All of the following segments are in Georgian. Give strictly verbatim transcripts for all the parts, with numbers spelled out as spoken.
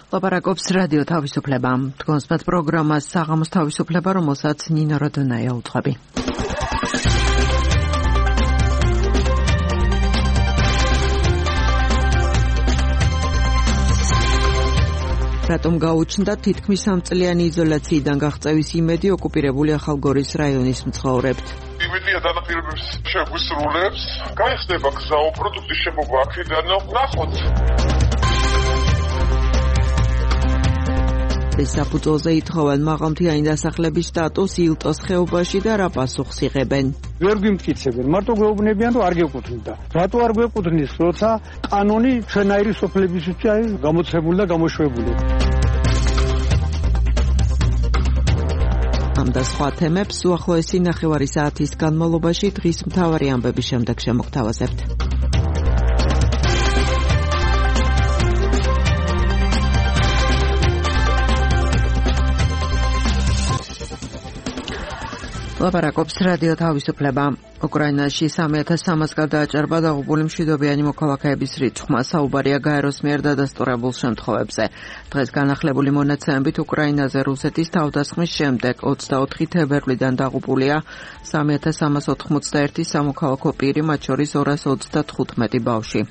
ლაპარაკობს რადიო თავისუფლება. თქვენს მათ პროგრამას საღამოს თავისუფლება, რომელსაც ნინო როდონაია უძღვები. რატომ გაუჩნდა თითქმის სამწლიანი იზოლაციიდან გაღწევის იმედი ოკუპირებული ახალგორის რაიონის მცხოვრებთ? იმედია დანაპირების შეგვისრულებს, გაიხსნება გზა პროდუქტის შემოგვა აქედან, ნახოთ. ეს საფუძველზე ითხოვენ მაღალმთიანი დასახლების სტატუს ილტოს ხეობაში და რა პასუხს იღებენ. ვერ გვიმტკიცებენ, მარტო გვეუბნებიან, რომ არ გეკუთვნით. რატო არ გვეკუთვნის, როცა კანონი ჩვენაირი სოფლებისთვის არის გამოცემული და გამოშვებული. ამ და სხვა თემებს უახლოესი ნახევარი საათის განმავლობაში დღის მთავარი ამბების შემდეგ შემოგთავაზებთ. ლაპარაკობს რადიო თავისუფლება. უკრაინაში სამი ათას სამას გადააჭარბა დაღუპული მშვიდობიანი მოქალაქეების რიცხვმა. საუბარია გაეროს მიერ დადასტურებულ შემთხვევებზე. დღეს განახლებული მონაცემებით უკრაინაზე რუსეთის თავდასხმის შემდეგ ოცდაოთხი თებერვლიდან დაღუპულია სამი ათას სამას ოთხმოცდაერთი სამოქალაქო პირი, მათ შორის ორას ოცდათხუთმეტი ბავშვი.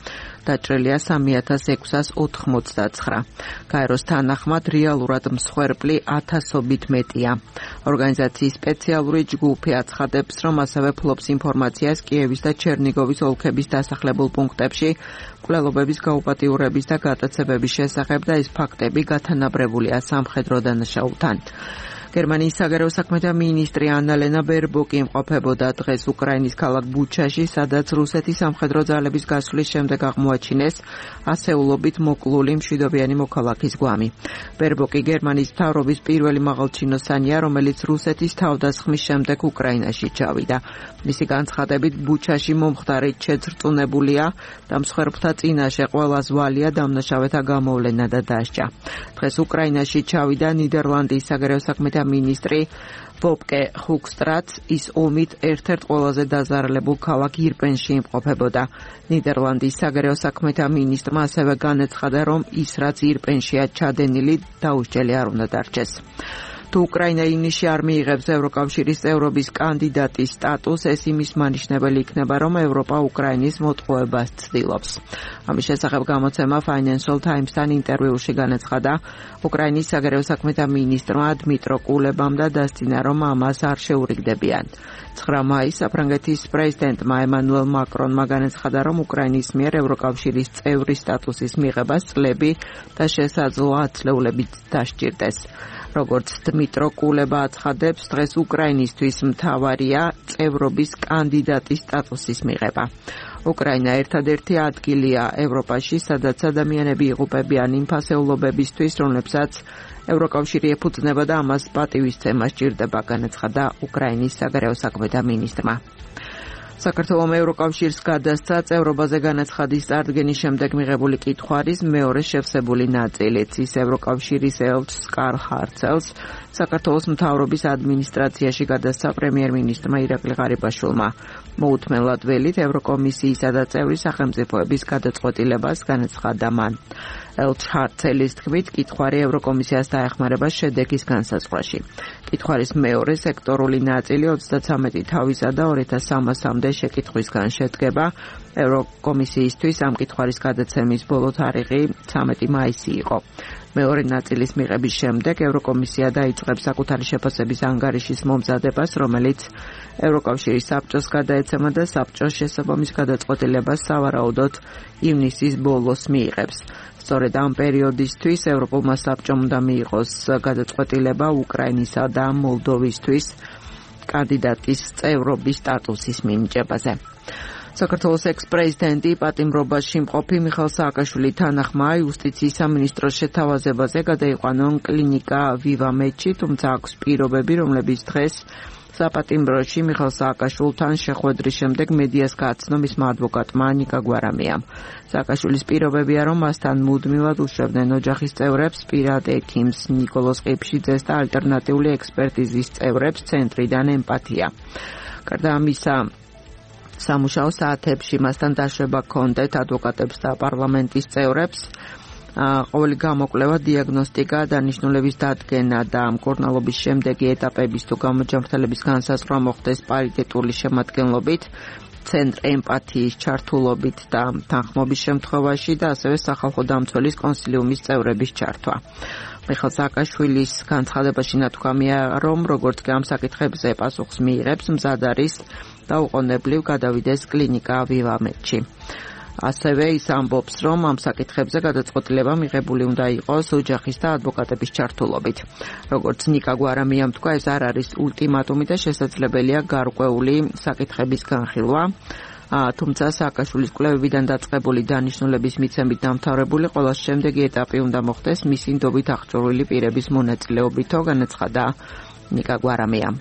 დაჭრილია სამი ათას ექვსას ოთხმოცდაცხრა. გაეროს თანახმად რეალურად მსხვერპლი ათასობით მეტია. ორგანიზაციის სპეციალური ჯგუფი აცხადებს, რომ ასევე ფლობს ინფორმაციას კიევის და ჩერნიგოვის ოლქების დასახლებულ პუნქტებში მკვლელობების გაუპატიურების და გატაცებების შესახებ და ეს ფაქტები გათანაბრებულია სამხედრო დანაშაულთან. გერმანიის საგარეო საქმეთა მინისტრი ანალენა ბერბოკი იმყოფებოდა დღეს უკრაინის ქალაქ ბუჩაში, სადაც რუსეთის სამხედრო ძალების გასვლის შემდეგ აღმოაჩინეს ასეულობით მოკლული მშვიდობიანი მოქალაქის გვამი. ბერბოკი გერმანიის მთავრობის პირველი მაღალჩინოსანია, რომელიც რუსეთის თავდასხმის შემდეგ უკრაინაში ჩავიდა. მისი განცხადებით, ბუჩაში მომხდარით შეძრწუნებულია და მსხვერპლთა წინაშე ყველა ზვალია დამნაშავეთა გამოვლენა და დასჯა. დღეს უკრაინაში ჩავიდა ნიდერლანდიის საგარეო საქმეთა მინისტრი ვოპკე ჰუგსტრაც, ის ომით ერთ-ერთ ყველაზე დაზარალებულ ქალაქ ირპენში იმყოფებოდა. ნიდერლანდის საგარეო საქმეთა მინისტრმა ასევე განაცხადა, რომ ის რაც ირპენშია ჩადენილი დაუსჯელი არ უნდა დარჩეს. თუ უკრაინა ივნისში არ მიიღებს ევროკავშირის წევრობის კანდიდატის სტატუსს, ეს იმის მანიშნებელი იქნება, რომ ევროპა უკრაინის მოტყუებას ცდილობს. ამის შესახებ გამოცემა Financial Times-თან ინტერვიუში განაცხადა უკრაინის საგარეო საქმეთა მინისტრმა დმიტრო კულებამ და დასძინა, რომ ამას არ შეურიგდებიან. ცხრა მაისს საფრანგეთის პრეზიდენტმა ემანუელ მაკრონმა განაცხადა, რომ უკრაინის მიერ ევროკავშირის წევრის სტატუსის მიღებას წლები და შესაძლოა ათწლეულებით დასჭირდეს. როგორც დმიტრო კულება აცხადებს, დღეს უკრაინისთვის მთავარია წევრობის კანდიდატის სტატუსის მიღება. უკრაინა ერთადერთი ადგილია ევროპაში, სადაც ადამიანები იღუპებიან იმ ფასეულობებისთვის, რომლებსაც ევროკავშირი ეფუძნება და ამას პატივისცემა სჭირდება, განაცხადა უკრაინის საგარეო საქმეთა მინისტრმა. საქართველომ ევროკავშირს გადასცა წევრობაზე განაცხადის წარდგენის შემდეგ მიღებული კითხვარის მეორე შევსებული ნაწილიც. ის ევროკავშირის ელჩს კარლ ჰარცელს საქართველოს მთავრობის ადმინისტრაციაში გადასცა პრემიერ-მინისტრმა ირაკლი ღარიბაშვილმა. მოუთმენლად ველით ევროკომისიისა და წევრი სახელმწიფოების გადაწყვეტილებას განაცხადა მან. ელჩ ჰარცელის თქმით, კითხვარი ევროკომისიას დაეხმარება შედეგის განსაზღვრაში. კითხვარის მეორე სექტორული ნაწილი ოცდათვრამეტი თავისა და ორი ათას სამასამდე შეკითხვისგან შედგება. ევროკომისიისთვის ამ კითხვარის გადაცემის ბოლო თარიღი ცამეტი მაისი იყო. მეორე ნაწილის მიღების შემდეგ ევროკომისია დაიწყებს საკუთარი შეფასების ანგარიშის მომზადებას, რომელიც ევროკავშირის საბჭოს გადაეცემა და საბჭოს შესაბამის გადაწყვეტილებას სავარაუდოდ ივნისის ბოლოს მიიღებს. სწორედ ამ პერიოდისთვის ევროპულმა საბჭომ უნდა მიიღოს გადაწყვეტილება უკრაინისა და მოლდოვისთვის კანდიდატის წევრობის სტატუსის მინიჭებაზე. საქართველოს ექს-პრეზიდენტი პატიმრობაში მყოფი მიხეილ სააკაშვილი თანახმა იუსტიციის სამინისტროს შეთავაზებაზე გადაიყვანონ კლინიკა ვივამედში, თუმცა აქვს პირობები, რომლებიც დღეს საპატიმროში მიხეილ სააკაშვილთან შეხვედრის შემდეგ მედიას გააცნო მისმა ადვოკატმა ნიკა გვარამიამ. სააკაშვილის პირობებია, რომ მასთან მუდმივად უშვებდნენ ოჯახის წევრებს, პირად ექიმს ნიკოლოზ ყიფშიძეს და ალტერნატიული ექსპერტიზის წევრებს ცენტრიდან ემპათია. გარდა ამისა, სამუშაო საათებში მასთან დაშვება ჰქონდათ ადვოკატებს და პარლამენტის წევრებს. ყოველი გამოკვლევა, დიაგნოსტიკა, დანიშნულების დადგენა და მკურნალობის შემდეგი ეტაპების თუ გამოჯანმრთელების განსაზღვრა მოხდეს პარიტეტული შემადგენლობით, ცენტრ ემპათიის ჩართულობით და თანხმობის შემთხვევაში და ასევე სახალხო დამცველის კონსილიუმის წევრების ჩართვა. მიხეილ სააკაშვილის განცხადებაში ნათქვამია, რომ როგორც კი ამ საკითხებზე პასუხს მიიღებს, მზად არის დაუყოვნებლივ გადავიდეს კლინიკა ვივამედში. ასევე ის ამბობს, რომ ამ საკითხებზე გადაწყვეტილება მიღებული უნდა იყოს ოჯახის და ადვოკატების ჩართულობით. როგორც ნიკა გვარამიამ თქვა, ეს არ არის ულტიმატუმი და შესაძლებელია გარკვეული საკითხების განხილვა. თუმცა სააკაშვილის კვლევებიდან დაწყებული დანიშნულების მიცემით დამთავრებული ყველა შემდეგი ეტაპი უნდა მოხდეს მისი ნდობით აღჭურვილი პირების მონაწილეობითო, განაცხადა ნიკა გვარამიამ.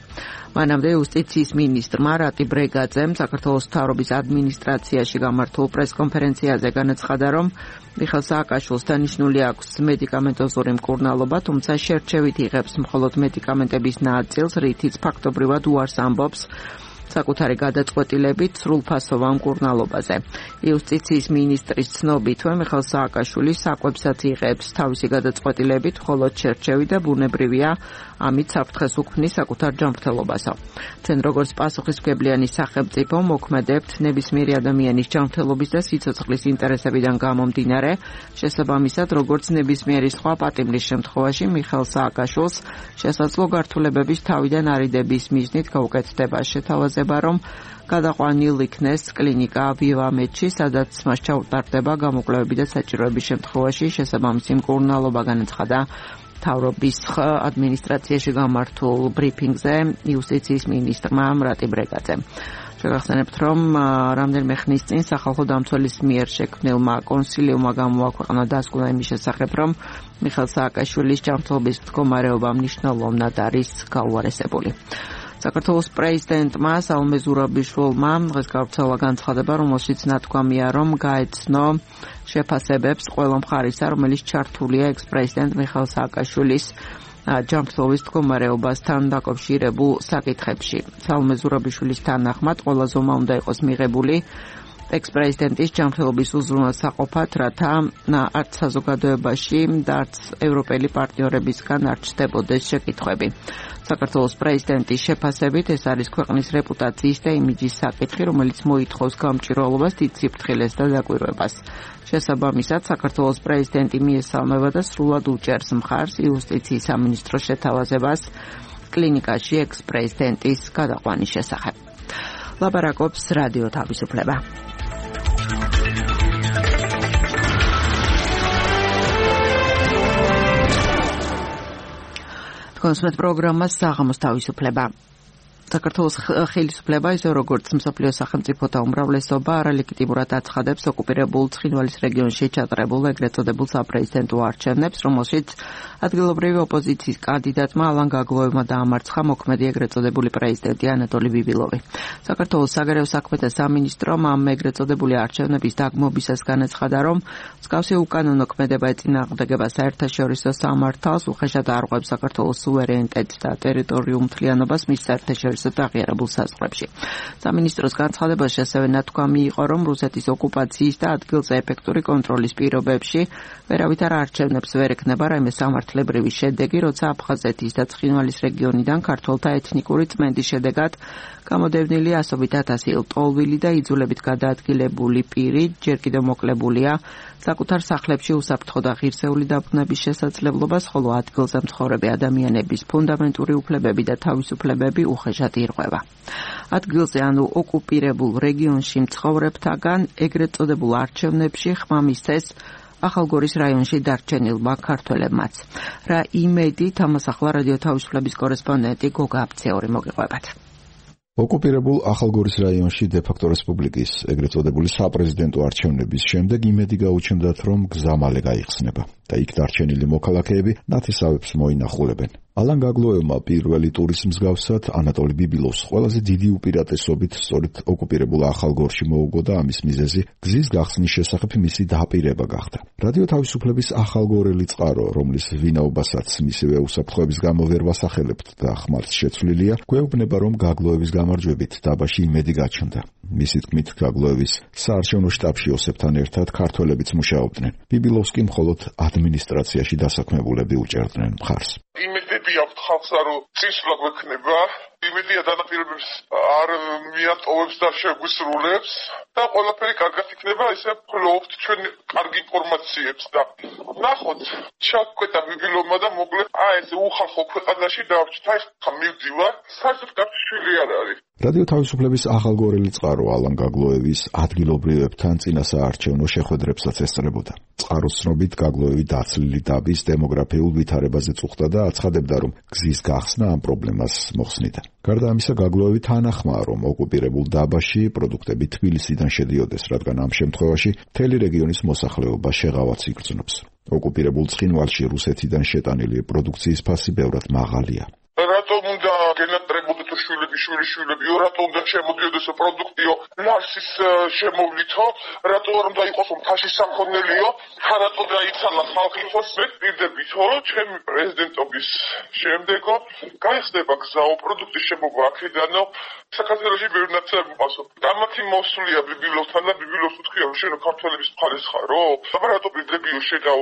მანამდე იუსტიციის მინისტრმა რატი ბრეგაძემ საქართველოს მთავრობის ადმინისტრაციაში გამართულ პრესკონფერენციაზე განაცხადა, რომ მიხეილ სააკაშვილს დანიშნული აქვს მედიკამენტოზური მკურნალობა, თუმცა შერჩევით იღებს მხოლოდ მედიკამენტების ნაწილს, რითიც ფაქტობრივად უარს ამბობს საკუთარი გადაწყვეტილებით სრულფასოვან მკურნალობაზე. იუსტიციის მინისტრის ცნობითვე მიხეილ სააკაშვილი საკვებსაც იღებს თავისი გადაწყვეტილებით, მხოლოდ შერჩევი და ბუნებრივია ამით საფრთხეს უქმნის საკუთარ ჯანმრთელობასო. ჩვენ როგორც პასუხისმგებლიანი სახელმწიფო მოქმედებთ ნებისმიერი ადამიანის ჯანმრთელობის და სიცოცხლის ინტერესებიდან გამომდინარე, შესაბამისად როგორც ნებისმიერი სხვა პატიმრის შემთხვევაში მიხეილ სააკაშვილს შესაძლო გართულებების თავიდან არიდების მიზნით გაუკეთდება შეთავაზება, რომ გადაყვანილ იქნეს კლინიკა ვივამედში, სადაც მას ჩაუტარდება გამოკვლევები და საჭიროების შემთხვევაში შესაბამისი მკურნალობა, განაცხადა მთავრობის ადმინისტრაციაში გამართულ ბრიფინგზე იუსტიციის მინისტრმა რატი ბრეგაძემ. შეგახსენებთ, რომ რამდენიმე ხნის წინ სახალხო დამცველის მიერ შექმნილმა კონსილიუმმა გამოაქვეყნა დასკვნა იმის შესახებ, რომ მიხეილ სააკაშვილის ჯანმრთელობის მდგომარეობა მნიშვნელოვნად არის გაუარესებული. საქართველოს პრეზიდენტმა საულმე ზურაბიშვილმა დღეს გავრცელა განცხადება, რომელშიც ნათქვამია, რომ გაეცნო შეფასებებს ყველა მხარისა, რომელიც ჩართულია ექს-პრეზიდენტ მიხეილ სააკაშვილის ჯანმრთელობის მდგომარეობასთან დაკავშირებულ საკითხებში. საულმე ზურაბიშვილის თანახმად, ყველა ზომა უნდა იყოს მიღებული ექს-პრეზიდენტის ჯანმრთელობის უზრუნველსაყოფად, რათა არც საზოგადოებაში და არც ევროპელი პარტნიორებისგან არ ჩნდებოდეს შეკითხვები. საქართველოს პრეზიდენტის შეფასებით ეს არის ქვეყნის რეპუტაციის და იმიჯის საკითხი, რომელიც მოითხოვს გამჭირვალობას, დიდ სიფრთხილეს და დაკვირვებას. შესაბამისად, საქართველოს პრეზიდენტი მიესალმება და სრულად უჭერს მხარს იუსტიციის სამინისტროს შეთავაზებას კლინიკაში ექს-პრეზიდენტის გადაყვანის შესახებ. ლაპარაკობს რადიო თავისუფლება. კონსმეთ პროგრამა საღამოს თავისუფლება. საქართველოს ხელისუფლება ისე როგორც მსოფლიო სახელმწიფოთა უმრავლესობა არალეგიტიმურად აცხადებს ოკუპირებულ ცხინვალის რეგიონში ჩატარებულ ეგრეთ წოდებულ საპრეზიდენტო არჩევნებს, რომელშიც ადგილობრივი ოპოზიციის კანდიდატმა ალან გაგლოევმა დაამარცხა მოქმედი ეგრეთ წოდებული პრეზიდენტი ანატოლი ბიბილოვი. საქართველოს საგარეო საქმეთა სამინისტრომ ამ ეგრეთ წოდებული არჩევნების დაგმობისას განაცხადა, რომ მსგავსი უკანონო ქმედება ეწინააღმდეგება საერთაშორისო სამართალს, უხეშად არღვევს საქართველოს სუვერენიტეტს და ტერიტორიულ მთლიანობას მის საერთაშორისო აღიარებულ საზღვრებში. სამინისტროს განცხადებაში ასევე ნათქვამი იყო, რომ რუსეთის ოკუპაციის და ადგილზე ეფექტური კონტროლის პირობებში ვერავით არ არჩევნებს ვერ ექნება რაიმე სამართლებრივი შედეგი, როცა აფხაზეთის და ცხინვალის რეგიონიდან ქართველთა ეთნიკური წმენდის შედეგად გამოდევნილი ასობით ათასი ლტოლვილი და იძულებით გადაადგილებული პირი ჯერ კიდევ მოკლებულია საკუთარ სახლებში უსაფრთხო და ღირსეული დაბრუნების შესაძლებლობას, ხოლო ადგილზე მცხოვრები ადამიანების ფუნდამენტური უფლებები და თავისუფლებები უხეშად ირღვევა. ადგილზე ანუ ოკუპირებულ რეგიონში მცხოვრებთაგან ეგრეთ წოდებულ არჩევნებში ხმა მისცეს ახალგორის რაიონში დარჩენილმა ქართველებმაც. რა იმედით ამას ახლა რადიო თავისუფლების კორესპონდენტი გოგა აფცეური მოგიყვებათ. ოკუპირებულ ახალგორის რაიონში დე-ფაქტო რესპუბლიკის ეგრეთ წოდებული საპრეზიდენტო არჩევნების შემდეგ იმედი გაუჩნდათ, რომ გზა მალე გაიხსნება და იქ დარჩენილი მოქალაქეები ნათესავებს მოინახულებენ. ალან გაგლოევმა პირველი ტურის მსგავსად ანატოლი ბიბილოვს ყველაზე დიდი უპირატესობით სწორედ ოკუპირებულ ახალგორში მოუგო და ამის მიზეზი გზის გახსნის შესახებ მისი დაპირება გახდა. რადიო თავისუფლების ახალგორელი წყარო, რომლის ვინაობასაც მისივე უსაფრთხოების გამო ვერ ვასახელებთ და ხმართ შეცვლილია, გვეუბნება, რომ გაგლოევის გამარჯვებით დაბაში იმედი გაჩნდა. მისი თქმით, გაგლოევის საარჩევნო შტაბში ოსებთან ერთად ქართველებიც მუშაობდნენ. ბიბილოვსკი მხოლოდ ადმინისტრაციაში დასაქმებულები უჭერდნენ მხარს. იმედები აქვთ ხალხსა, რომ წინსვლა გვექნება, იმედია დანაპირებებს არ მიატოვებს და შეგვისრულებს და ყველაფერი კარგად იქნება, ისე ვფლობთ ჩვენ კარგ ინფორმაციებს და ნახოთ, ჩაგვკვეთა ბიბილოვმა და მოკლედ აი ეს უხალხო ქვეყანაში დავჭით, აი ხა მივდივარ, საერთოდ კარგი შვილი არ არის. რადიო თავისუფლების ახალგორელი წყარო ალან გაგლოევის ადგილობრივებთან წინასაარჩევნო შეხვედრებსაც ესწრებოდა. წყაროს ცნობით გაგლოევი დაცლილი დაბის დემოგრაფიულ ვითარებაზე წუხდა და აცხადებდა, რომ გზის გახსნა ამ პრობლემას მოხსნიდა. გარდა ამისა, გაგლოევი თანახმაა, რომ ოკუპირებულ დაბაში პროდუქტები თბილისიდან შედიოდეს, რადგან ამ შემთხვევაში მთელი რეგიონის მოსახლეობა შეღავაც იგრძნობს. ოკუპირებულ ცხინვალში რუსეთიდან შეტანილი პროდუქციის ფასი ბევრად მაღალია. რატომ უნდა გენატრებოდეთ შვილები, შვილიშვილები, რატომ უნდა შემოდიოდეს პროდუქტიო, ლარსის შემოვლითო, რატომ არ უნდა იყოს მთაში სამქონელიო, რატომ დაიცალა ხალხი ხოს მეკდირდებითო, ჩემი პრეზიდენტობის შემდეგო გაიხსნება გზაო პროდუქტის შემოგვა აქედანო, საქართველოში ბევრი ნაცნობი მყავსო. დამათი მოსვლია ბიბილოვთან და ბიბილოვს უთხრია, რომ შენ ქართველების მხარეს ხარო? აბა რატო პირდებიო შეგავ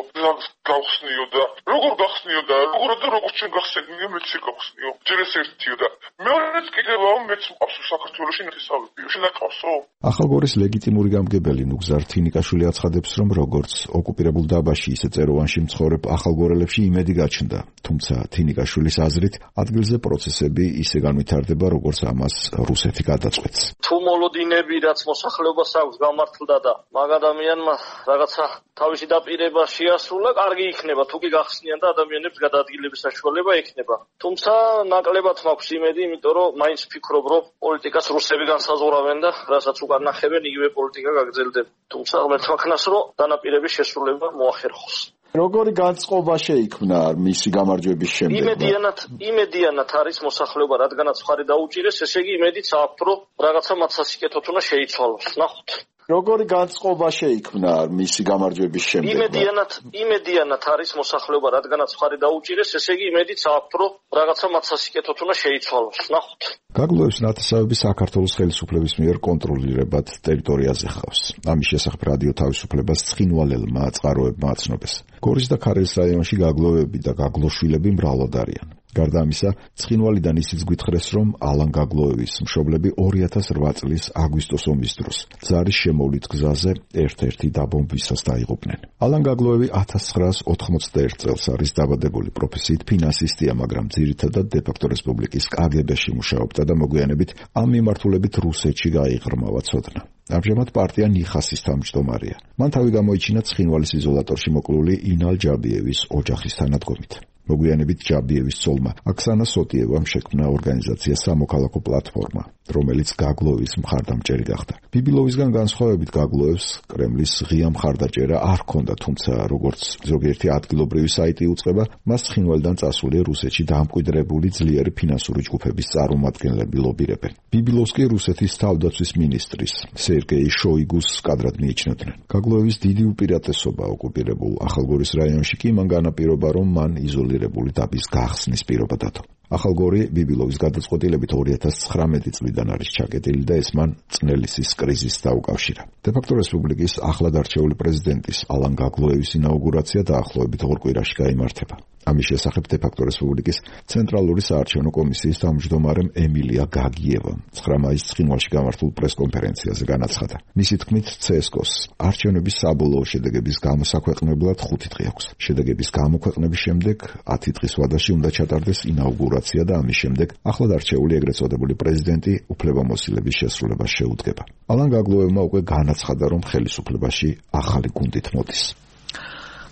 გავხსნიო და როგორ გავხსნიო და როგორ და როგორ ჩვენ გავხსნიო მეც გავხსნიო. ჯერ ეს ერთიო და მეორეც კიდევ მეც მყავს საქართველოში ნათესავებიო. შენ აკავსო? ახალგორის ლეგიტიმური გამგებელი ნუგზარ თინიკაშვილი აცხადებს, რომ როგორც ოკუპირებულ დაბაში, ისე წეროვანში მცხოვრებ ახალგორელებში იმედი გაჩნდა. თუმცა თინიკაშვილის აზრით, ადგილზე პროცესები ისე განვითარდება, როგორც ამას რუსეთი გადაწყვეტს. თუ მოლოდინები, რაც მოსახლეობას აქვს გამართლდა და მაგ ადამიანმა რაღაცა თავისი დაპირება შეასრულა, კარგი იქნება, თუ კი გახსნიან და ადამიანებს გადაადგილების საშუალება ექნება. თუმცა ნაკლებად მაქვს იმედი, იმიტომ რომ მაინც ვფიქრობ, რომ პოლიტიკას რუსები განსაზღვრავენ და რასაც უკან ნახებენ, იგივე პოლიტიკა გაგრძელდება. თუმცა ღმერთმა ქნას, რომ დანაპირების შესრულება მოახერხოს. როგორი განწყობა შეიქმნა მისი გამარჯვების შემდეგ? იმედიანად, იმედიანად არის მოსახლეობა, რადგანაც მხარი დაუჭირეს, ესე იგი იმედიც აქვთ, რომ რაღაცა მათ სასიკეთოდ უნდა შეიცვალოს. ნახოთ. როგორი განწყობა შეიქმნა მისი გამარჯვების შემდეგ? იმედიანად, იმედიანად არის მოსახლეობა, რადგანაც მხარი დაუჭირეს, ესე იგი იმედიც აქვთ, რომ რაღაცა მათ სასიკეთოდ უნდა შეიცვალოს. ნახოთ. გაგლოევს ნათესავები საქართველოს ხელისუფლების მიერ კონტროლირებად ტერიტორიაზე ხავს. ამის შესახებ რადიო თავისუფლებას ცხინვალელმა წყაროებმა აცნობეს. გორის და ქარელის რაიონში გაგლოევები და გაგლოშვილები მრავლად არიან. გარდა ამისა, ცხინვალიდან ისიც გვითხრეს, რომ ალან გაგლოევის მშობლები ორი ათას რვა წლის აგვისტოს ომის დროს ზარის შემოვლით გზაზე ერთ-ერთი დაბომბვისას დაიღუპნენ. ალან გაგლოევი ათას ცხრაას ოთხმოცდაერთ წელს არის დაბადებული, პროფესიით ფინანსისტია, მაგრამ ძირითადად დე-ფაქტო რესპუბლიკის კაგებაში მუშაობდა და მოგვიანებით ამ მიმართულებით რუსეთში გაიღრმავა ცოდნა. ამჟამად პარტია ნიხასის თავმჯდომარეა. მან თავი გამოიჩინა ცხინვალის იზოლატორში მოკლული ინალ ჯაბიევის ოჯახის თანადგომით. მოგვიანებით ჯაბიევის ცოლმა აქსანა სოტიევამ შექმნა ორგანიზაცია სამოქალაქო პლატფორმა, რომელიც გაგლოევის მხარდამჭერი გახდა. ბიბილოვისგან განსხვავებით გაგლოევს კრემლის ღია მხარდაჭერა არ ჰქონდა, თუმცა როგორც ზოგიერთი ადგილობრივი საიტი უწყება, მას ცხინვალიდან წასული რუსეთში დამკვიდრებული ძლიერი ფინანსური ჯგუფების წარმომადგენლები ლობირებენ. ბიბილოვსკი რუსეთის თავდაცვის მინისტრის სერგეი შოიგუს კადრად მიიჩნევდნენ. გაგლოევის დიდი უპირატესობა ოკუპირებულ ახალგორის რაიონში კი მან განაპირობა, რომ მან იზოლირებული დაბის გახსნის პირობა დადო. ახალგორი ბიბილოვის გადაწყვეტილებით ორი ათას ცხრამეტი წლიდან არის ჩაკეტილი და ეს მან წნელისის კრიზისს დაუკავშირა. დე-ფაქტო რესპუბლიკის ახლად არჩეული პრეზიდენტის ალან გაგლოევის ინაუგურაცია დაახლოებით ორ კვირაში გაიმართება. ამის შესახებ დე-ფაქტო რესპუბლიკის ცენტრალური საარჩევნო კომისიის თავმჯდომარემ ემილია გაგიევამ ცხრა მაისს ცხინვალში გამართულ პრესკონფერენციაზე განაცხადა. მისი თქმით, ცე-ეს-კოს არჩევნების საბოლოო შედეგების გამოსაქვეყნებლად ხუთი დღე აქვს. შედეგების გამოქვეყნების შემდეგ ათი დღის ვადაში უნდა ჩატარდეს ინაუგურაცია და ამის შემდეგ ახლად არჩეული ეგრეთ წოდებული პრეზიდენტი უფლებამოსილების შესრულებას შეუდგება. ალან გაგლოევმა უკვე განაცხადა, რომ ხელისუფლებაში ახალი გუნდით მოდის.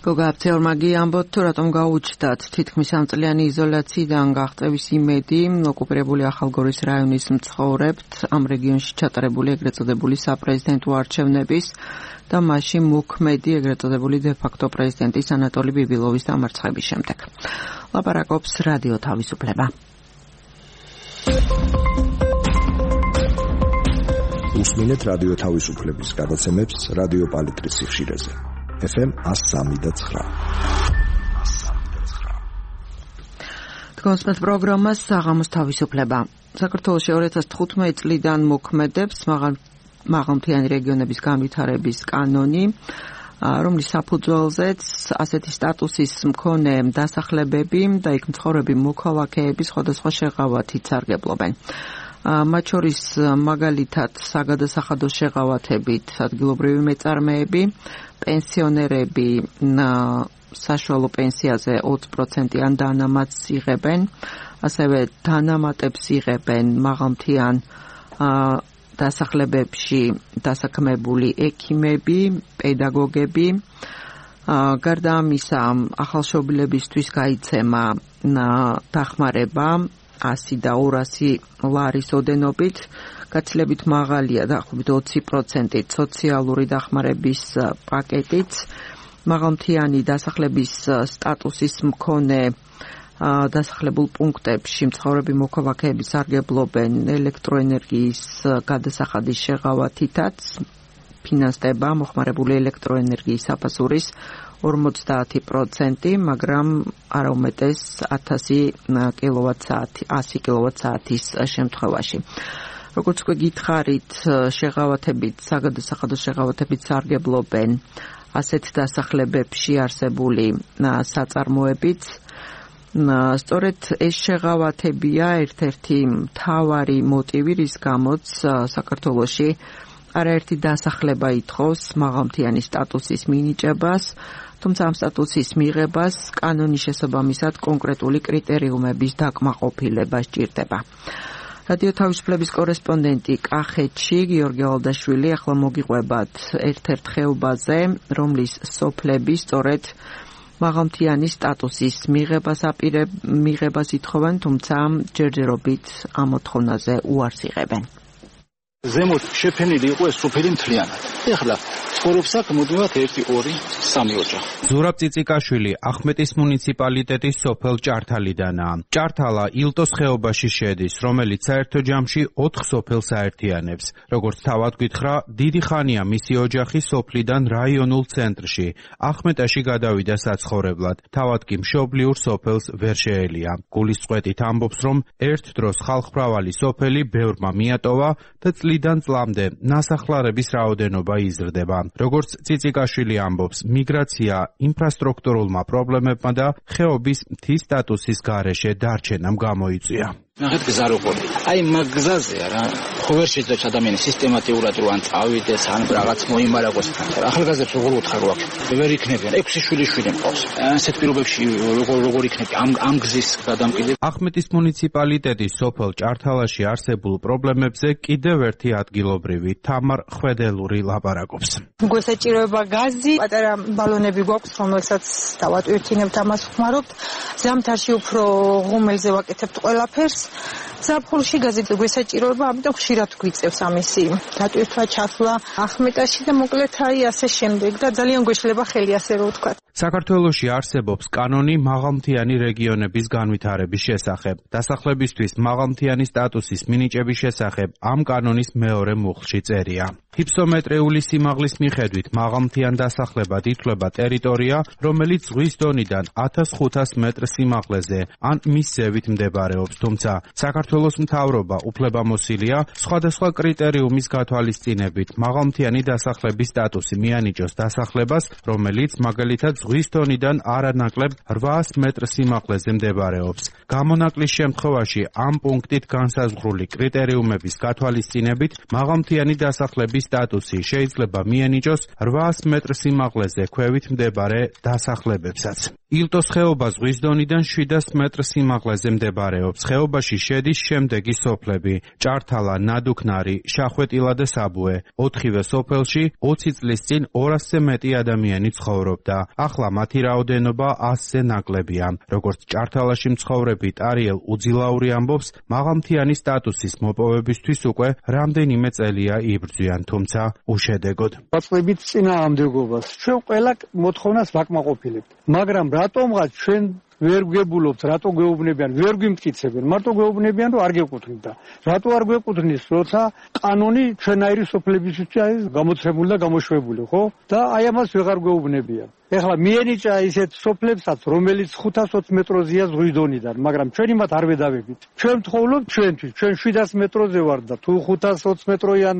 გოგა აფცეორმაგი ამბობთ, თუ რატომ გაუჩნდათ თითქმის სამწლიანი იზოლაციიდან გაღწევის იმედი ოკუპირებული ახალგორის რაიონის მცხოვრებთ ამ რეგიონში ჩატარებული ეგრეთ წოდებული საპრეზიდენტო არჩევნების და მასში მოქმედი ეგრეთ წოდებული დე-ფაქტო პრეზიდენტის ანატოლი ბიბილოვის დამარცხების შემდეგ. ლაპარაკობს რადიო თავისუფლება. უსმინეთ რადიო თავისუფლების გადაცემებს რადიო პალიტრის სიხშირეზე. ეფ ემ εκατო სამი და ცხრა. თქვენს პროგრამას საღამოს თავისუფლება. საქართველოში ორი ათას თხუთმეტი წლიდან მოქმედებს მაღალ მაღალმთიანი რეგიონების განვითარების კანონი, რომლის საფუძველზეც ასეთი სტატუსის მქონე დასახლებები და იქ მცხოვრები მოქალაქეები სხვადასხვა შეღავათით სარგებლობენ. მათ შორის მაგალითად საგადასახადო შეღავათებით ადგილობრივი მეწარმეები, პენსიონერები საშუალო პენსიაზე ოცი პროცენტიან დანამატს იღებენ, ასევე დანამატებს იღებენ მაღალმთიან დასახლებებში დასაქმებული ექიმები, პედაგოგები. გარდა ამისა, ახალშობილებისთვის გაიცემა დახმარება ასი და ორასი ლარის ოდენობით, გაცილებით მაღალია დაახლოებით ოცი პროცენტით სოციალური დახმარების პაკეტიც. მაღალმთიანი დასახლების სტატუსის მქონე დასახლებულ პუნქტებში მცხოვრები მოქალაქეები სარგებლობენ ელექტროენერგიის გადასახადის შეღავათითაც, ფინანსდება მოხმარებული ელექტროენერგიის საფასურის ორმოცდაათი პროცენტი, მაგრამ არა უმეტეს ათასი კილოვატ-საათი, ასი კილოვატ-საათის შემთხვევაში. როგორც უკვე გითხარით, შეღავათებით, საგადასახადო შეღავათებით სარგებლობენ ასეთ დასახლებებში არსებული საწარმოებიც. სწორედ ეს შეღავათებია ერთ-ერთი მთავარი მოტივი, რის გამოც საქართველოში არაერთი დასახლება ითხოვს მაღალმთიანი სტატუსის მინიჭებას, თუმცა ამ სტატუსის მიღებას კანონის შესაბამისად კონკრეტული კრიტერიუმების დაკმაყოფილება სჭირდება. რადიო თავისუფლების კორესპონდენტი კახეთში გიორგი ალდაშვილი ახლა მოგიყვებათ ერთ-ერთ ხეობაზე, რომლის სოფლები სწორედ მაღალმთიანი სტატუსის მიღებას აპირებ მიღებას ითხოვენ, თუმცა ჯერჯერობით ამ მოთხოვნაზე უარს იღებენ. ზემოთ შეფენილი იყო ეს სოფელი მთლიანად. ეხლა ცხოვრობს აქ მოდივათ ერთი, ორი, სამი ოჯახი. ზურაბ წიწიკაშვილი ახმეტის მუნიციპალიტეტის სოფელ ჭართალიდანაა. ჭართალა ილტოს ხეობაში შედის, რომელიც საერთო ჯამში ოთხ სოფელს აერთიანებს. როგორც თავად გითხრა, დიდი ხანია მისი ოჯახი სოფლიდან რაიონულ ცენტრში, ახმეტაში გადავიდა საცხოვრებლად. თავად კი მშობლიურ სოფელს ვერ შეელია. გულისწყეტით ამბობს, რომ ერთ დროს ხალხმრავალი სოფელი ბევრმა მიატოვა და წლიდან წლამდე ნასახლარების რაოდენობა იზრდება. როგორც წიწიკაშვილი ამბობს, მიგრაცია ინფრასტრუქტურულმა პრობლემებმა და ხეობის მთის სტატუსის გარეშე დარჩენამ გამოიწვია. ნახეთ გზა როგორი. აი მაგ გზაზე რა, ხო ვერ შეძლებს ადამიანი სისტემატიურად რო ან წავიდეს, ან რაღაც მოიმარაგოს. ახალგაზრდებს როგორ უთხარო აქ? ვერ იქნებიან. ექვსი შვილი შვილი მყავს. ასეთ პირობებში როგორ როგორ იქნება ამ ამ გზის გადამყიდვა? ახმეტის მუნიციპალიტეტის სოფელ ჭართალაში არსებულ პრობლემებზე კიდევ ერთი ადგილობრივი თამარ ხვედელური ლაპარაკობს. გვესაჭიროება გაზი, პატარა ბალონები გვაქვს, რომელსაც დავატვირთინებთ, ამას ვხმარობთ. ზამთარში უფრო ღუმელზე ვაკეთებთ ყველაფერს. ზაფხულში გაზით გვესაჭიროება, ამიტომ ხშირად გვიწევს ამისი დატვირთვა, ჩასვლა ახმეტაში და მოკლედ აი ასე შემდეგ და ძალიან გვეშლება ხელი, ასე რომ ვთქვა. საქართველოში არსებობს კანონი მაღალმთიანი რეგიონების განვითარების შესახებ. დასახლებისთვის მაღალმთიანი სტატუსის მინიჭების შესახებ ამ კანონის მეორე მუხლში წერია. ჰიფსომეტრიული სიმაღლის მიხედვით მაღალმთიან დასახლებად ითვლება ტერიტორია, რომელიც ზღვის დონიდან ათას ხუთას მეტრ სიმაღლეზე ან მის ზევით მდებარეობს, თუმცა საქართველოს მთავრობა უფლებამოსილია სხვადასხვა კრიტერიუმის გათვალისწინებით მაღალმთიანი დასახლების სტატუსი მიანიჭოს დასახლებას, რომელიც მაგალითად ზღვის დონიდან არანაკლებ რვაას მეტრ სიმაღლეზე მდებარეობს. გამონაკლის შემთხვევაში ამ პუნქტით განსაზღვრული კრიტერიუმების გათვალისწინებით მაღალმთიანი დასახლების სტატუსი შეიძლება მიანიჭოს რვაას მეტრ სიმაღლეზე ქვევით მდებარე დასახლებებსაც. ილტოს ხეობა ზღვის დონიდან შვიდას მეტრ სიმაღლეზე მდებარეობს. ხეობაში შედის შემდეგი სოფლები: ჭართალა, ნადუქნარი, შახვეტილა და საბუე. ოთხივე სოფელში ოცი წლის წინ ორასზე მეტი ადამიანი ცხოვრობდა. ახლა მათი რაოდენობა ასზე ნაკლებია. როგორც ჭართალაში მცხოვრები ტარიელ უძილაური ამბობს, მაღალმთიანი სტატუსის მოპოვებისთვის უკვე რამდენიმე წელია იბრძვიან, თუმცა უშედეგოდ. ვაწყდებით წინააღმდეგობას. ჩვენ ყველა მოთხოვნას ვაკმაყოფილებთ, მაგრამ რატომღაც ჩვენ ვერ გვგებულობთ, რატო გვეუბნებიან, ვერ გვიმტკიცებენ, მარტო გვეუბნებიან, რომ არ გეკუთვნით და რატო არ გვეკუთვნის, როცა კანონი ჩვენაირი სოფლებისთვის არის გამოცემული და გამოშვებული, ხო? და აი ამას ვეღარ გვეუბნებიან. ეხლა მიენიჭა ისეთ სოფლებსაც, რომელიც ხუთას ოცი მეტროზეა ზღვის დონიდან, მაგრამ ჩვენი მათ არ ვედავებით. ჩვენ ვთხოვნობთ ჩვენთვის, ჩვენ შვიდას მეტროზე ვარ და თუ ხუთას ოცი მეტროიან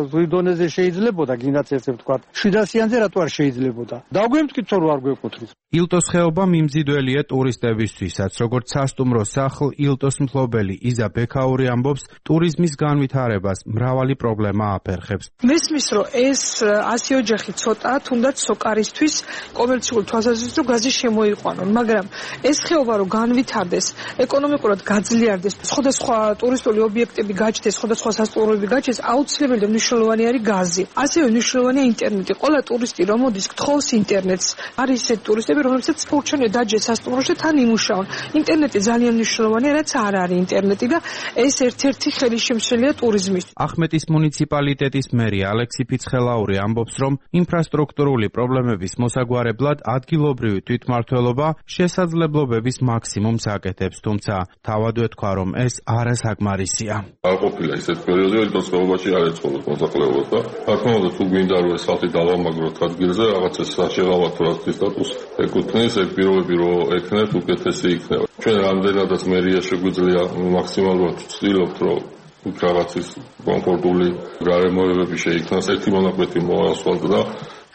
ზღვის დონეზე შეიძლებოდა, გინდაც ესე ვთქვათ, შვიდასიანზე რატო არ შეიძლებოდა? დაგვემტკიცო რომ არ გვეკუთვნის. ილტოს ხეობა მიმზიდველია ტურისტებისთვისაც, როგორც სასტუმრო სახლ ილტოს მფლობელი იზა ბექაური ამბობს, ტურიზმის განვითარებას მრავალი პრობლემა აფერხებს. მესმის რომ ეს ასი ოჯახი ცოტა, თუნდაც სოკარისთვის კომერციული თვალსაზრისით რომ გაზი შემოიყვანონ, მაგრამ ეს ხეობა რომ განვითარდეს, ეკონომიკურად გაძლიერდეს, სხვადასხვა ტურისტული ობიექტები გაჩნდეს, სხვადასხვა სასტუმროები გაჩნდეს, აუცილებელი და მნიშვნელოვანი არის გაზი. ასევე მნიშვნელოვანია ინტერნეტი. ყველა ტურისტი რომ მოდის, გთხოვს ინტერნეტს. არის ისეთი ტურისტები, რომლებსაც ფურჩენია დაჯეს სასტუმროში თან იმუშაონ. ინტერნეტი ძალიან მნიშვნელოვანია, რაც არ არის ინტერნეტი და ეს ერთ-ერთი ხელისშემშელია ტურიზმის. ახმეტის მუნიციპალიტეტის მერი ალექსი ფიცხელაური ამბობს, რომ ინფრასტრუქტურული პრობლემების მოსაგვარებლად ადგილობრივი თვითმმართველობა შესაძლებლობების მაქსიმუმს აკეთებს, თუმცა თავად ეთქვა, რომ ეს არასაკმარისია. არ ყოფილა ისეთ პერიოდი, რომ ცხოვრებაში არ ეწყობათ მოსახლეობას და რა თქმა უნდა თუ გვინდა რომ ეს ხალხი დავამაგროთ ადგილზე, რაღაც ეს შეღავათ რასთვის სტატუსს ეკუთვნის, ეგ პირობები რომ ექნებათ უკეთესი იქნება. ჩვენ რამდენადაც მერია შეგვიძლია მაქსიმალურად ვცდილობთ, რომ რაღაცის კომფორტული გარემოებები შეიქმნას, ერთი მონაკვეთი მოასფალტ და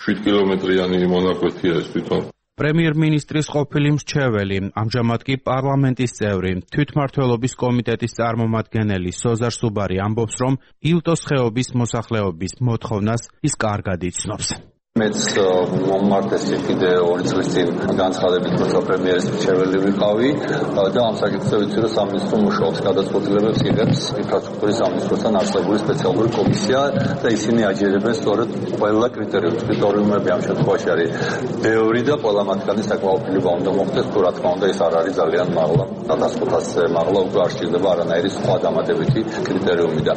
შვიდ კილომეტრიანი მონაკვეთია ეს თვითონ. პრემიერ-მინისტრის ყოფილი მრჩეველი, ამჟამად კი პარლამენტის წევრი, თვითმმართველობის კომიტეტის წარმომადგენელი სოზარ სუბარი ამბობს, რომ ილტოს ხეობის მოსახლეობის მოთხოვნას ის კარგად იცნობს. მეც მომმართეს კიდე ორი წლის წინ განცხადებით, როცა პრემიერის მრჩეველი ვიყავი და ამ საკითხზე ვიცი, რომ სამინისტრო მუშაობს, გადაწყვეტილებებს იღებს ინფრასტრუქტურის სამინისტროსთან არსებული სპეციალური კომისია და ისინი აჯერებენ სწორედ ყველა კრიტერიუმს. კრიტერიუმები ამ შემთხვევაში არის ბევრი და ყველა მათგანი საკმაყოფილება უნდა მოხდეს, თუ რა თქმა უნდა ის არ არის ძალიან მაღლა. ათას ხუთასზე მაღლა უკვე არ შეიძლება არანაირი სხვა დამატებითი კრიტერიუმი და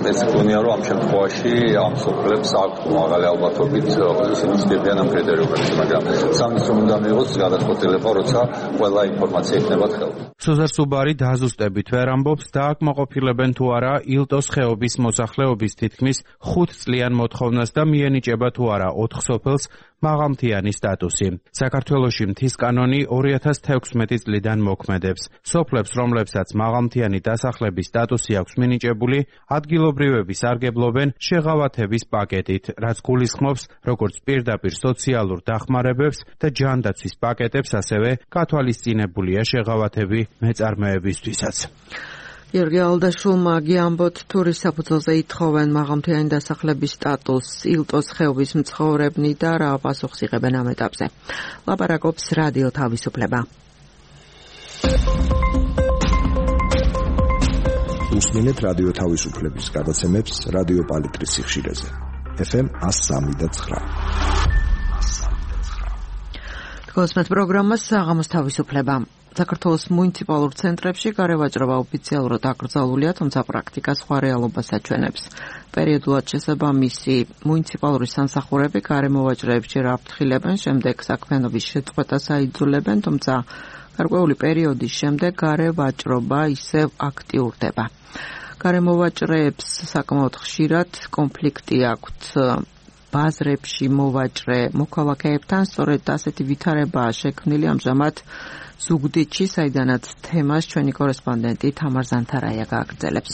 მეც მგონია, რომ ამ შემთხვევაში ამ სოფლებს აქვთ მაღალი ალბათობით ისინი ცდებიან ამ კრიტერიუმებს, მაგრამ სამინისტრომ უნდა მიიღოს გადაწყვეტილება, როცა ყველა ინფორმაცია იქნება ხელში. სოზარ სუბარი დაზუსტებით ვერ ამბობს, დააკმაყოფილებენ თუ არა ილტოს ხეობის მოსახლეობის თითქმის ხუთ წლიან მოთხოვნას და მიენიჭება თუ არა ოთხ სოფელს მაღალმთიანი სტატუსი. საქართველოში მთის კანონი ორი ათას თექვსმეტი წლიდან მოქმედებს. სოფლებს, რომლებსაც მაღალმთიანი დასახლების სტატუსი აქვს მინიჭებული, ადგილობრივები სარგებლობენ შეღავათების პაკეტით, რაც გულისხმობს როგორც პირდაპირ სოციალურ დახმარებებს და ჯანდაცვის პაკეტებს, ასევე გათვალისწინებულია შეღავათები მეწარმეებისთვისაც. გიორგი ალდაშულმა გიამბოთ თურის საფუძველზე ითხოვენ მაღალმთიანი დასახლების სტატუსს ილტოს ხეობის მცხოვრებნი და რა პასუხს იღებენ ამ ეტაპზე. ლაპარაკობს რადიო თავისუფლება. უსმინეთ რადიო თავისუფლების გადაცემებს რადიო პალიტრის სიხშირეზე. ეფ ემ εκατო სამი და ცხრა. თქოსმეთ პროგრამა საღამოს თავისუფლება. საქართველოს მუნიციპალურ ცენტრებში გარევაჭრობა ოფიციალურად აკრძალულია, თუმცა პრაქტიკა სხვა რეალობას აჩვენებს. პერიოდულად შესაბამისი მუნიციპალური სამსახურები გარემოვაჭრეებს ჯერ აფრთხილებენ, შემდეგ საქმიანობის შეწყვეტას აიძულებენ, თუმცა გარკვეული პერიოდის შემდეგ გარევაჭრობა ისევ აქტიურდება. გარემოვაჭრეებს საკმაოდ ხშირად კონფლიქტი აქვთ ბაზრებში მოვაჭრე მოქალაქეებთან, სწორედ ასეთი ვითარებაა შექმნილი ამჟამად ზუგდიდში, საიდანაც თემას ჩვენი კორესპონდენტი თამარ ზანთარაია გააგრძელებს.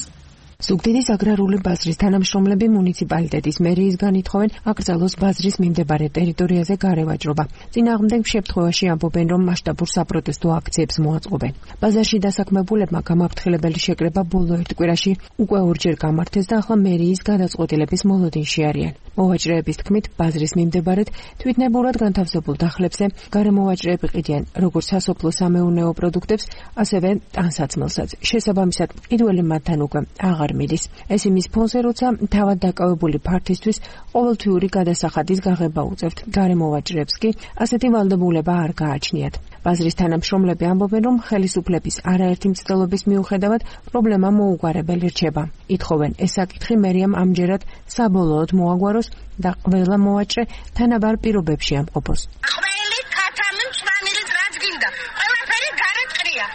ზუგდიდის აგრარული ბაზრის თანამშრომლები მუნიციპალიტეტის მერიის განითხოვენ აკრძალოს ბაზრის მიმდებარე ტერიტორიაზე გარევაჭრობა. წინააღმდეგ შემთხვევაში ამბობენ, რომ მასშტაბურ საპროტესტო აქციებს მოაწყობენ. ბაზარში დასაქმებულებმა გამაფრთხილებელი შეკრება ბოლო ერთ კვირაში უკვე ორჯერ გამართეს და ახლა მერიის გადაწყვეტილების მოლოდინში არიან. მოვაჭრეების თქმით, ბაზრის მიმდებარედ თვითნებურად განთავსებულ დახლებზე გარემოვაჭრეები ყიდიან როგორც სასოფლო სამეურნეო პროდუქტებს, ასევე ტანსაცმელსაც. შესაბამისად, პირველი მათთან უკვე აღარ მიდის. ეს იმის ფონზე, როცა თავად დაკავებული ფართისთვის ყოველთვიური გადასახადის გაღება უწევთ. გარემოვაჭრეებს კი ასეთი ვალდებულება არ გააჩნიათ. ბაზრის თანამშრომლები ამბობენ, რომ ხელისუფლების არაერთი მცდელობის მიუხედავად პრობლემა მოუგვარებელი რჩება. ითხოვენ, ეს საკითხი მერიამ ამჯერად საბოლოოდ მოაგვაროს და ყველა მოვაჭრე თანაბარ პირობებში ამყოფოს. ყველი ქათამი მწვანილით რაც გინდა, ყველაფერი გარეთყრია.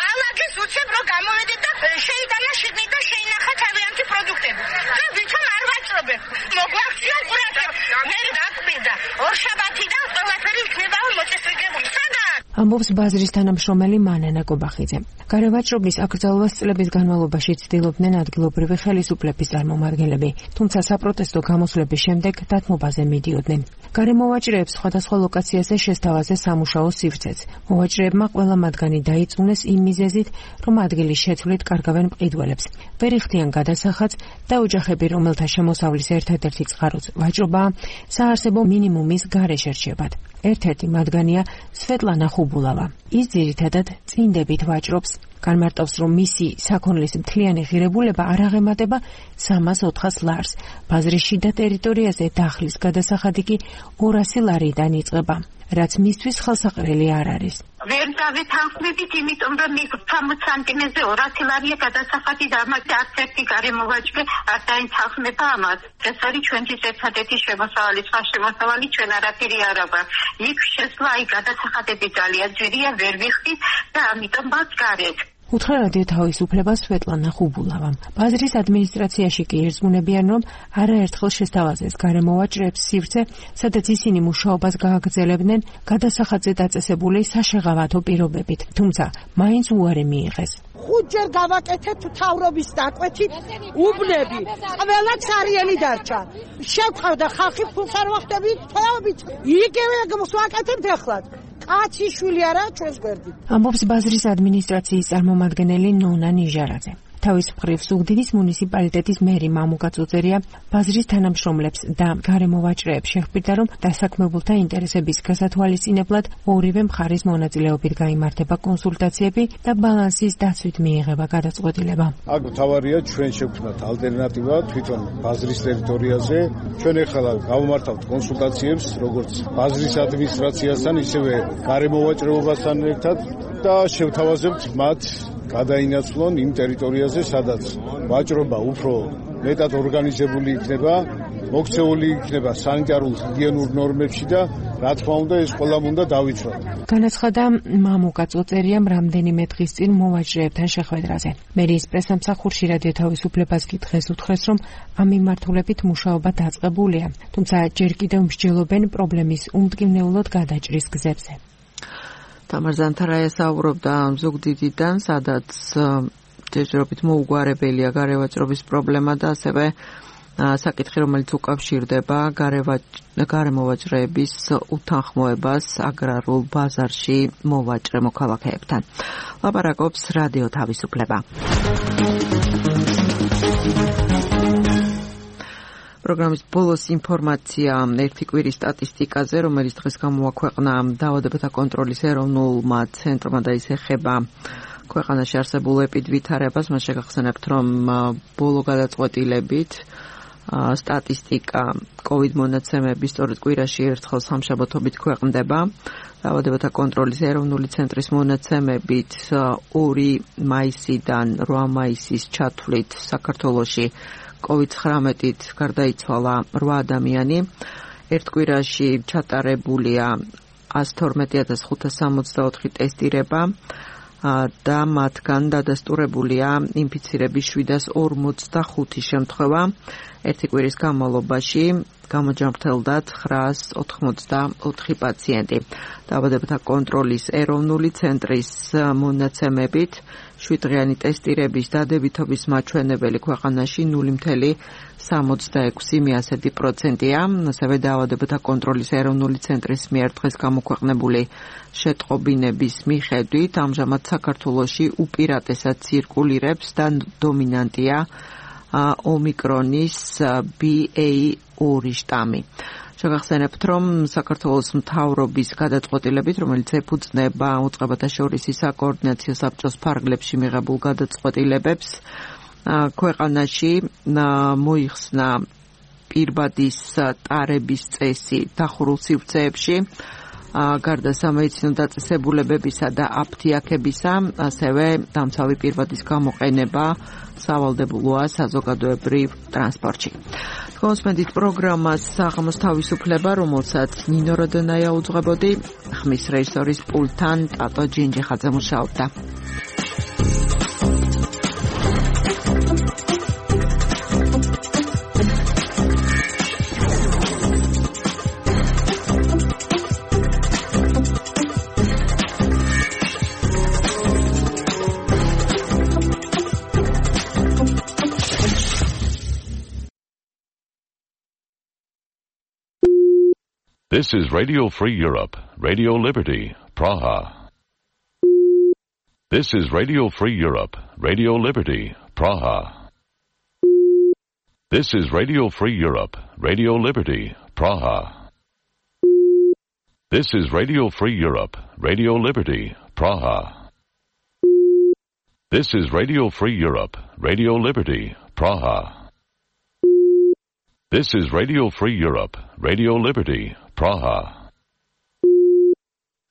ალაგის უცებ რომ გამოვედეთ და შეიტანა შიგნით და შეინახა თავიანთი პროდუქტები. და ვითომ არ ვაჭრობენ. მოგვაქცია ყურადღება. მე დაკვირდა ორშაბათიდან ყველაფერი იქნება ამბობს ბაზრის თანამშრომელი მანანა კობახიძე. გარევაჭრობის აკრძალვას წლების განმავლობაში ცდილობდნენ ადგილობრივი ხელისუფლების წარმომადგენლები, თუმცა საპროტესტო გამოსვლების შემდეგ დათმობაზე მიდიოდნენ. გარემოვაჭრეებს სხვადასხვა ლოკაციაზე შესთავაზე სამუშაო სივრცეც. მოვაჭრეებმა ყველა მათგანი დაიწუნეს იმ მიზეზით, რომ ადგილის შეცვლით კარგავენ მყიდველებს. ვერ იხდიან გადასახადს და ოჯახები, რომელთა შემოსავლის ერთადერთი წყაროც ვაჭრობაა, საარსებო მინიმუმის გარეშე რჩებათ. ერთ-ერთი მათგანია სვეტლანა ხუბულავა. ის ძირითადად წინდებით ვაჭრობს. განმარტავს, რომ მისი საქონლის მთლიანი ღირებულება არ აღემატება სამას ოთხას ლარს. ბაზრის შიდა ტერიტორიაზე დახლის გადასახადი კი ორასი ლარიდან იწყება, რაც მისთვის ხელსაყრელი არ არის. ვერ დავეთანხმებით, იმიტომ რომ სამოცი სანტიმეტრზე ორასი ლარია გადასახადი და ამაზე არც ერთი გარემოვაჭრე არ დაინახმება ამას. ეს არის ჩვენთვის ერთადერთი შემოსავალი, სხვა შემოსავალი ჩვენ არაფერი არ აქვს. იქ შესვლა აი გადასახადები ძალიან ძვირია, ვერ ვიხდით და ამიტომ მას გარეთ. უთხრა რადიო თავისუფლებას სვეტლანა ხუბულავამ. ბაზრის ადმინისტრაციაში კი ერზმუნებიან, რომ არაერთხელ შესთავაზეს გარემოვაჭრეებს სივრცე, სადაც ისინი მუშაობას გააგრძელებდნენ გადასახადზე დაწესებული საშეღავათო პირობებით, თუმცა მაინც უარი მიიღეს. ხუთჯერ გავაკეთეთ თავრობის დაკვეთით უბნები, ყველა ცარიელი დარჩა. შევხავდა ხალხი ფულს არ ვახდებით თეობით. იგივე ვაკეთებთ ახლად. კაცი შვილი არა ჩვენს გვერდით. ამბობს ბაზრის ადმინისტრაციის წარმომადგენელი ნონა ნიჟარაძე. თავის მხრივ ზუგდიდის მუნიციპალიტეტის მერი მამუკა წუწერია ბაზრის თანამშრომლებს და გარემოვაჭრეებს შეხვდა, რომ დასაქმებულთა ინტერესების გასათვალისწინებლად ორივე მხარის მონაწილეობით გაიმართება კონსულტაციები და ბალანსის დაცვით მიიღება გადაწყვეტილება. აქ თავარია ჩვენ შევქმნათ ალტერნატივა თვითონ ბაზრის ტერიტორიაზე. ჩვენ ახლა გავმართავთ კონსულტაციებს როგორც ბაზრის ადმინისტრაციასთან, ისევე გარემოვაჭრეობასთან ერთად და შევთავაზებთ მათ გადაინაცვლონ იმ ტერიტორიაზე, სადაც ვაჭრობა უფრო მეტად ორგანიზებული იქნება, მოქცეული იქნება სანიტარულ ჰიგიენურ ნორმებში და რა თქმა უნდა ეს ყველამ უნდა დავიცვათ. განაცხადა მამუკა წოწერიამ რამდენიმე დღის წინ მოვაჭრეებთან შეხვედრაზე. მერიის პრესამსახურში რადიო თავისუფლებას კი დღეს უთხრეს, რომ ამ მიმართულებით მუშაობა დაწყებულია, თუმცა ჯერ კიდევ მსჯელობენ პრობლემის უმტკივნეულოდ გადაჭრის გზებზე. თამარ ზანთარაია საუბრობდა ზუგდიდიდან, სადაც ჯერჯერობით მოუგვარებელია გარევაჭრობის პრობლემა და ასევე საკითხი, რომელიც უკავშირდება გარემოვაჭრეების უთანხმოებას აგრარულ ბაზარში მოვაჭრე მოქალაქეებთან. ლაპარაკობს რადიო თავისუფლება. პროგრამის ბოლოს ინფორმაცია ერთი კვირის სტატისტიკაზე, რომელიც დღეს გამოაქვეყნა დაავადებათა კონტროლის ეროვნულმა ცენტრმა და ის ეხება ქვეყანაში არსებულ ეპიდვითარებას. მას შეგახსენებთ, რომ ბოლო გადაწყვეტილებით სტატისტიკა კოვიდ მონაცემების სწორედ კვირაში ერთხელ სამშაბათობით ქვეყნდება. დაავადებათა კონტროლის ეროვნული ცენტრის მონაცემებით ორი მაისიდან რვა მაისის ჩათვლით საქართველოში კოვიდ ცხრამეტით გარდაიცვალა რვა ადამიანი. ერთ კვირაში ჩატარებულია ასი თორმეტი ათას ხუთას სამოცდაოთხი ტესტირება და მათგან დადასტურებულია ინფიცირების შვიდას ორმოცდახუთი შემთხვევა. ერთი კვირის განმავლობაში გამოჯანმრთელდა ცხრაას ოთხმოცდაოთხი პაციენტი. დაავადებათა კონტროლის ეროვნული ცენტრის მონაცემებით შვიდდღიანი ტესტირების დადებითობის მაჩვენებელი ქვეყანაში ნული მცდე სამოცდაექვსი პროცენტია. ასევე დაავადებათა კონტროლის ეროვნული ცენტრის მიერ დღეს გამოქვეყნებული შეტყობინების მიხედვით ამჟამად საქართველოში უპირატესად ცირკულირებს და დომინანტია ომიკრონის ბი ეი ორი შტამი. შეგახსენებთ, რომ საქართველოს მთავრობის გადაწყვეტილებით, რომელიც ეფუძნება უწყებათა შორის საკოორდინაციო საბჭოს ფარგლებში მიღებულ გადაწყვეტილებებს, ქვეყანაში მოიხსნა პირბადის ტარების წესი დახურულ სივრცეებში, გარდა სამედიცინო დაწესებულებებისა და აფთიაქებისა, ასევე დამცავი პირბადის გამოყენება სავალდებულოა საზოგადოებრივ ტრანსპორტში. კონსმენდით პროგრამას საღამოს თავისუფლება, რომელსაც ნინო როდონაია უძღვებოდი, ხმის რეჟისორის პულტთან ტატო ჯინჯიხაძე მუშაობდა. This is Radio Free Europe, Radio Liberty, Praha. This is Radio Free Europe, Radio Liberty, Praha. This is Radio Free Europe, Radio Liberty, Praha. This is Radio Free Europe, Radio Liberty, Praha. This is Radio Free Europe, Radio Liberty, Praha. This is Radio Free Europe, Radio Liberty, Praha.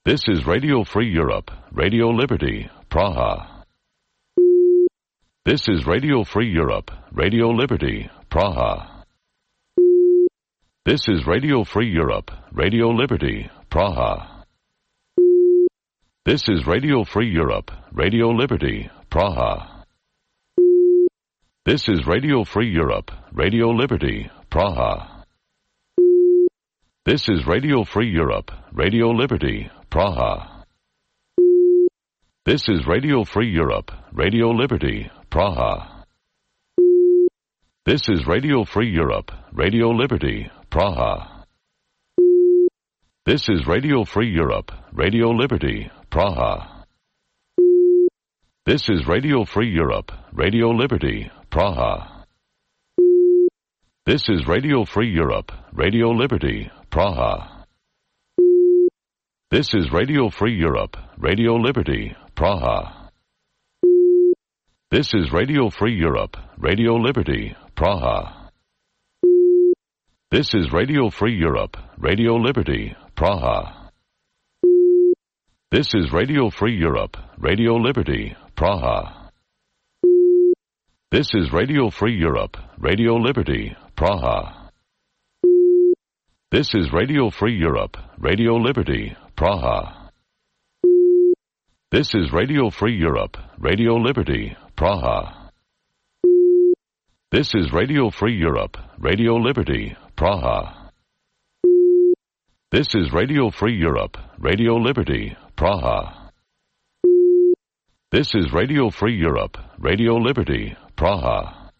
This is Radio Free Europe, Radio Liberty, Praha. This is Radio Free Europe, Radio Liberty, Praha. This is Radio Free Europe, Radio Liberty, Praha. This is Radio Free Europe, Radio Liberty, Praha. This is Radio Free Europe, Radio Liberty, Praha. This is Radio Free Europe, Radio Liberty, Praha. This is Radio Free Europe, Radio Liberty, Praha. This is Radio Free Europe, Radio Liberty, Praha. This is Radio Free Europe, Radio Liberty, Praha. This is Radio Free Europe, Radio Liberty, Praha. This is Radio Free Europe, Radio Liberty, Praha. This is Radio Free Europe, Radio Liberty, Praha. This is Radio Free Europe, Radio Liberty, Praha. This is Radio Free Europe, Radio Liberty, Praha. This is Radio Free Europe, Radio Liberty, Praha. This is Radio Free Europe, Radio Liberty, Praha. This is Radio Free Europe, Radio Liberty, Praha. This is Radio Free Europe, Radio Liberty, Praha. This is Radio Free Europe, Radio Liberty, Praha. This is Radio Free Europe, Radio Liberty, Praha. This is Radio Free Europe, Radio Liberty, Praha.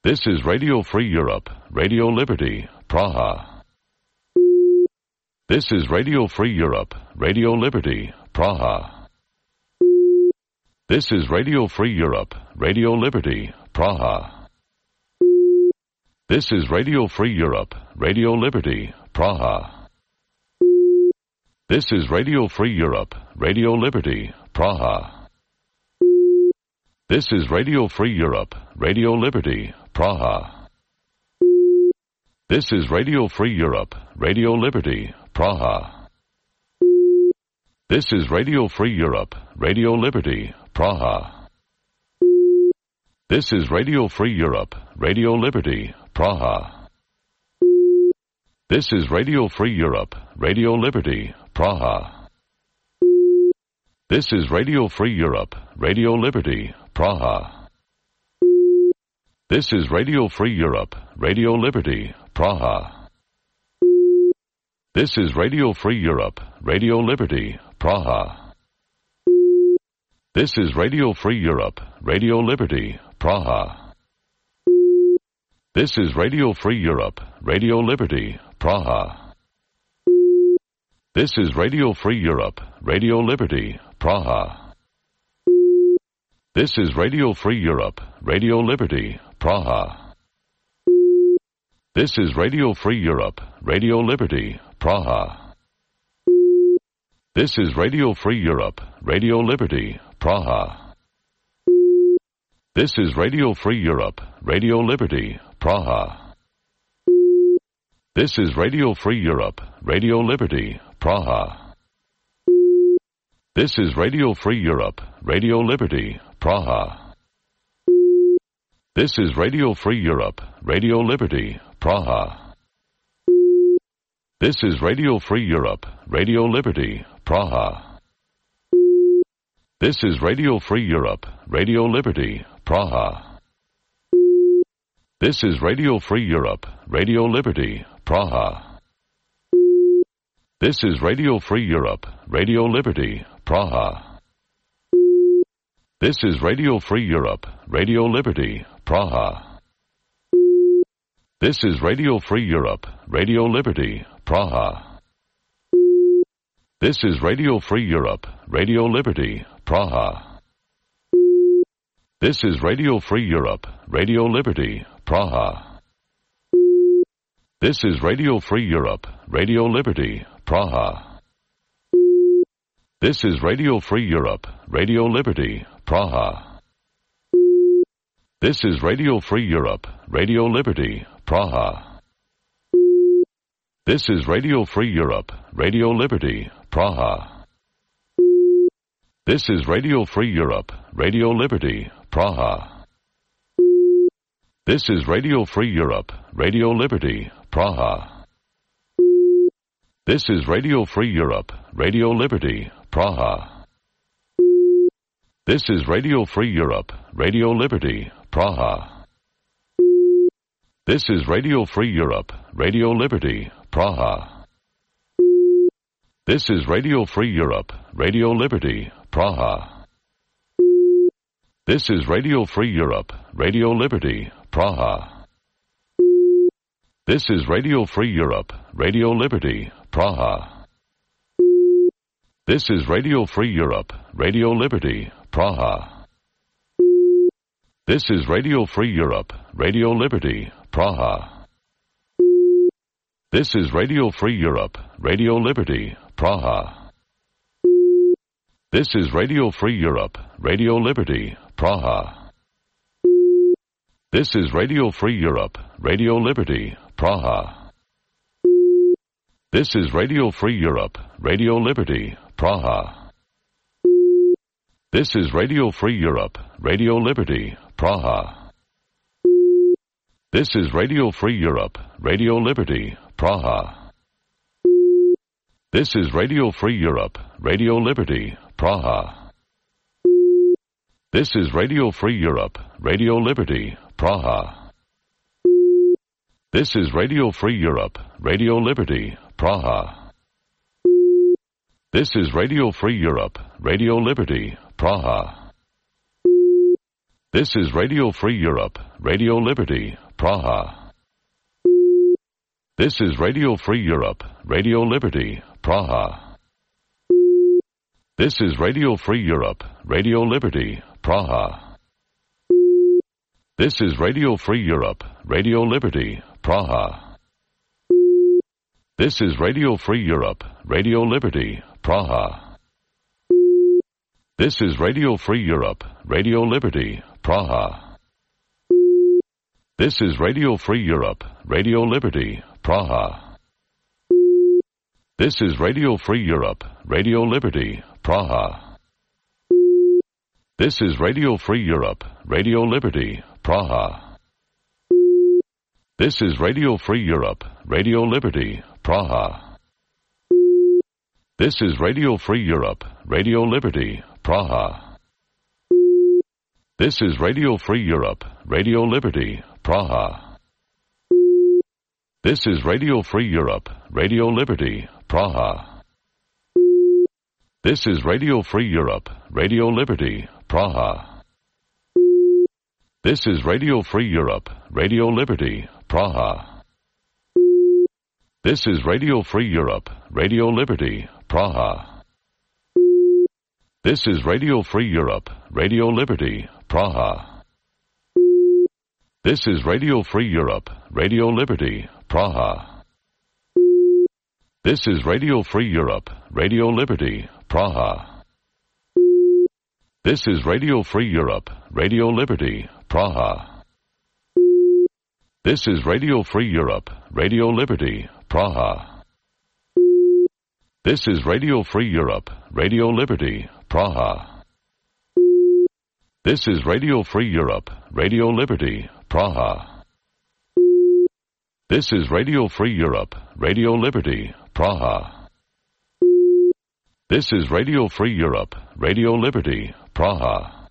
This is Radio Free Europe, Radio Liberty, Praha. This is Radio Free Europe, Radio Liberty, Praha. This is Radio Free Europe, Radio Liberty, Praha. This is Radio Free Europe, Radio Liberty, Praha. This is Radio Free Europe, Radio Liberty, Praha. This is Radio Free Europe, Radio Liberty, Praha. This is Radio Free Europe, Radio Liberty, Praha. This is Radio Free Europe, Radio Liberty, Praha. This is Radio Free Europe, Radio Liberty, Praha. This is Radio Free Europe, Radio Liberty, Praha. This is Radio Free Europe, Radio Liberty, Praha. This is Radio Free Europe, Radio Liberty, Praha. This is Radio Free Europe, Radio Liberty, Praha. This is Radio Free Europe, Radio Liberty, Praha. This is Radio Free Europe, Radio Liberty, Praha. This is Radio Free Europe, Radio Liberty, Praha. This is Radio Free Europe, Radio Liberty, Praha. This is Radio Free Europe, Radio Liberty, Praha. This is Radio Free Europe, Radio Liberty, Praha. This is Radio Free Europe, Radio Liberty, Praha. This is Radio Free Europe, Radio Liberty, Praha. This is Radio Free Europe, Radio Liberty, Praha. This is Radio Free Europe, Radio Liberty, Praha. This is Radio Free Europe, Radio Liberty, Praha. This is Radio Free Europe, Radio Liberty, Praha. This is Radio Free Europe, Radio Liberty, Praha. This is Radio Free Europe, Radio Liberty, Praha. This is Radio Free Europe, Radio Liberty, Praha. This is Radio Free Europe, Radio Liberty, Praha. This is Radio Free Europe, Radio Liberty, Praha. This is Radio Free Europe, Radio Liberty, Praha. This is Radio Free Europe, Radio Liberty, Praha. This is Radio Free Europe, Radio Liberty, Praha. This is Radio Free Europe, Radio Liberty, Praha. This is Radio Free Europe, Radio Liberty, Praha. This is Radio Free Europe, Radio Liberty, Praha. This is Radio Free Europe, Radio Liberty, Praha. This is Radio Free Europe, Radio Liberty, Praha. This is Radio Free Europe, Radio Liberty, Praha. This is Radio Free Europe, Radio Liberty, Praha. This is Radio Free Europe, Radio Liberty, Praha. This is Radio Free Europe, Radio Liberty, Praha. This is Radio Free Europe, Radio Liberty, Praha. This is Radio Free Europe, Radio Liberty, Praha. This is Radio Free Europe, Radio Liberty, Praha. This is Radio Free Europe, Radio Liberty, Praha. This is Radio Free Europe, Radio Liberty, Praha. This is Radio Free Europe, Radio Liberty, Praha. This is Radio Free Europe, Radio Liberty, Praha. This is Radio Free Europe, Radio Liberty, Praha. This is Radio Free Europe, Radio Liberty, Praha. This is Radio Free Europe, Radio Liberty, Praha. This is Radio Free Europe, Radio Liberty, Praha. This is Radio Free Europe, Radio Liberty, Praha. This is Radio Free Europe, Radio Liberty, Praha. This is Radio Free Europe, Radio Liberty, Praha. This is Radio Free Europe, Radio Liberty, Praha. This is Radio Free Europe, Radio Liberty, Praha. This is Radio Free Europe, Radio Liberty, Praha. This is Radio Free Europe, Radio Liberty, Praha. This is Radio Free Europe, Radio Liberty, Praha. This is Radio Free Europe, Radio Liberty, Praha. This is Radio Free Europe, Radio Liberty, Praha. This is Radio Free Europe, Radio Liberty, Praha. This is Radio Free Europe, Radio Liberty, Praha. This is Radio Free Europe, Radio Liberty, Praha. This is Radio Free Europe, Radio Liberty, Praha. This is Radio Free Europe, Radio Liberty, Praha. This is Radio Free Europe, Radio Liberty, Praha. This is Radio Free Europe, Radio Liberty, Praha. This is Radio Free Europe, Radio Liberty, Praha. This is Radio Free Europe, Radio Liberty, Praha. This is Radio Free Europe, Radio Liberty, Praha. This is Radio Free Europe, Radio Liberty, Praha. This is Radio Free Europe, Radio Liberty, Praha. This is Radio Free Europe, Radio Liberty, Praha. This is Radio Free Europe, Radio Liberty, Praha. This is Radio Free Europe, Radio Liberty, Praha. This is Radio Free Europe, Radio Liberty, Praha. This is Radio Free Europe, Radio Liberty, Praha.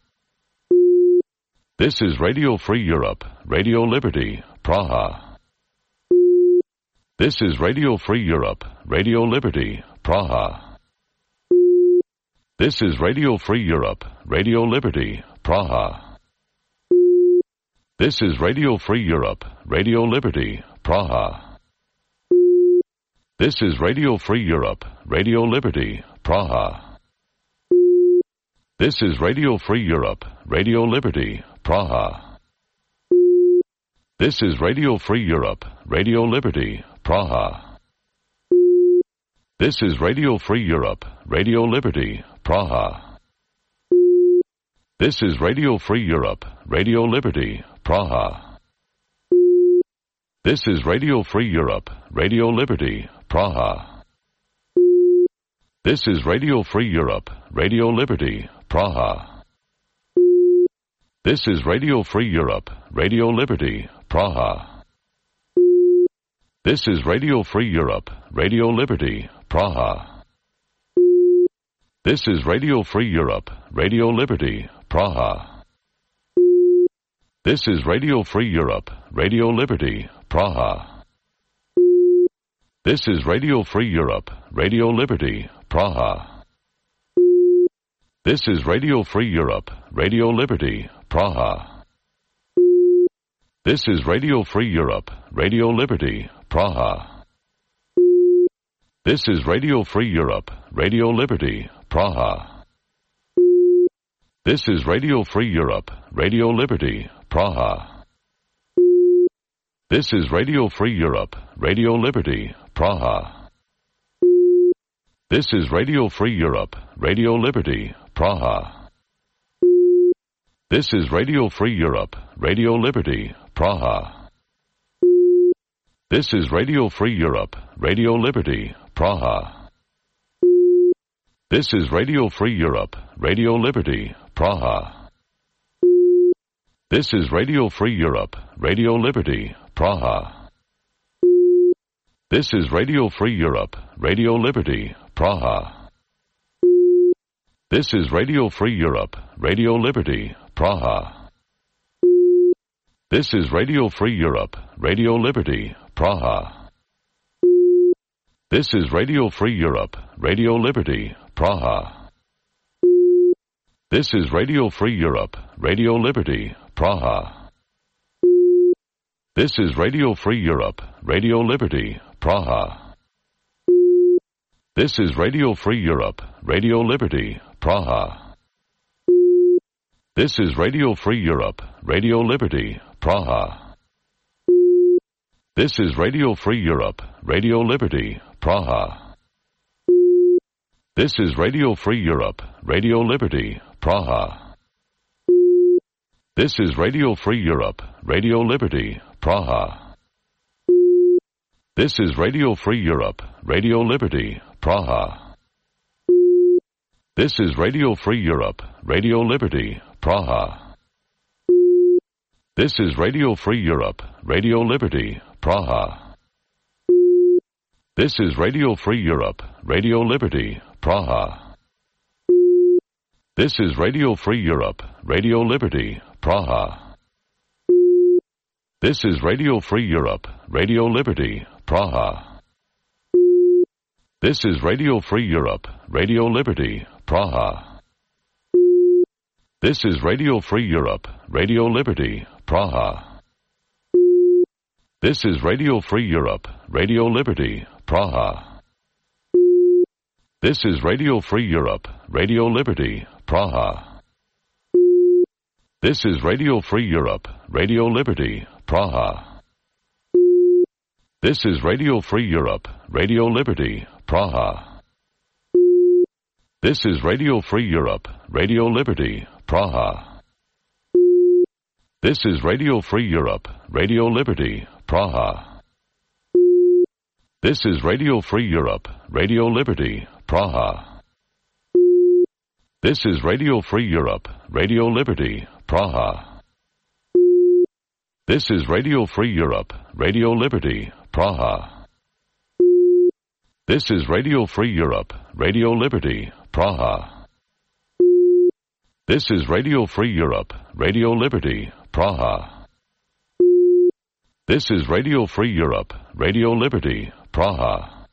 This is Radio Free Europe, Radio Liberty, Praha. This is Radio Free Europe, Radio Liberty, Praha. This is Radio Free Europe, Radio Liberty, Praha. This is Radio Free Europe, Radio Liberty, Praha. This is Radio Free Europe, Radio Liberty, Praha. This is Radio Free Europe, Radio Liberty, Praha. This is Radio Free Europe, Radio Liberty, Praha. This is Radio Free Europe, Radio Liberty, Praha. This is Radio Free Europe, Radio Liberty, Praha. This is Radio Free Europe, Radio Liberty, Praha. This is Radio Free Europe, Radio Liberty, Praha. This is Radio Free Europe, Radio Liberty, Praha. This is Radio Free Europe, Radio Liberty, Praha. This is Radio Free Europe, Radio Liberty, Praha. This is Radio Free Europe, Radio Liberty, Praha. This is Radio Free Europe, Radio Liberty, Praha. This is Radio Free Europe, Radio Liberty, Praha. This is Radio Free Europe, Radio Liberty, Praha. This is Radio Free Europe, Radio Liberty, Praha. This is Radio Free Europe, Radio Liberty, Praha. This is Radio Free Europe, Radio Liberty, Praha. This is Radio Free Europe, Radio Liberty, Praha. This is Radio Free Europe, Radio Liberty, Praha. This is Radio Free Europe, Radio Liberty, Praha. This is Radio Free Europe, Radio Liberty, Praha. This is Radio Free Europe, Radio Liberty, Praha. This is Radio Free Europe, Radio Liberty, Praha. This is Radio Free Europe, Radio Liberty, Praha. This is Radio Free Europe, Radio Liberty, Praha. This is Radio Free Europe, Radio Liberty, Praha. This is Radio Free Europe, Radio Liberty, Praha. This is Radio Free Europe, Radio Liberty, Praha. This is Radio Free Europe, Radio Liberty, Praha. This is Radio Free Europe, Radio Liberty, Praha. This is Radio Free Europe, Radio Liberty, Praha. This is Radio Free Europe, Radio Liberty, Praha. This is Radio Free Europe, Radio Liberty, Praha. This is Radio Free Europe, Radio Liberty, Praha. This is Radio Free Europe, Radio Liberty, Praha. This is Radio Free Europe, Radio Liberty, Praha. This is Radio Free Europe, Radio Liberty, Praha. This is Radio Free Europe, Radio Liberty, Praha. This is Radio Free Europe, Radio Liberty, Praha. This is Radio Free Europe, Radio Liberty, Praha. This is Radio Free Europe, Radio Liberty, Praha. This is Radio Free Europe, Radio Liberty, Praha. This is Radio Free Europe, Radio Liberty, Praha. This is Radio Free Europe, Radio Liberty, Praha. This is Radio Free Europe, Radio Liberty, Praha. This is Radio Free Europe, Radio Liberty, Praha. This is Radio Free Europe, Radio Liberty, Praha. This is Radio Free Europe, Radio Liberty, Praha. This is Radio Free Europe, Radio Liberty, Praha. This is Radio Free Europe, Radio Liberty, Praha. This is Radio Free Europe, Radio Liberty, Praha. This is Radio Free Europe, Radio Liberty, Praha. This is Radio Free Europe, Radio Liberty, Praha.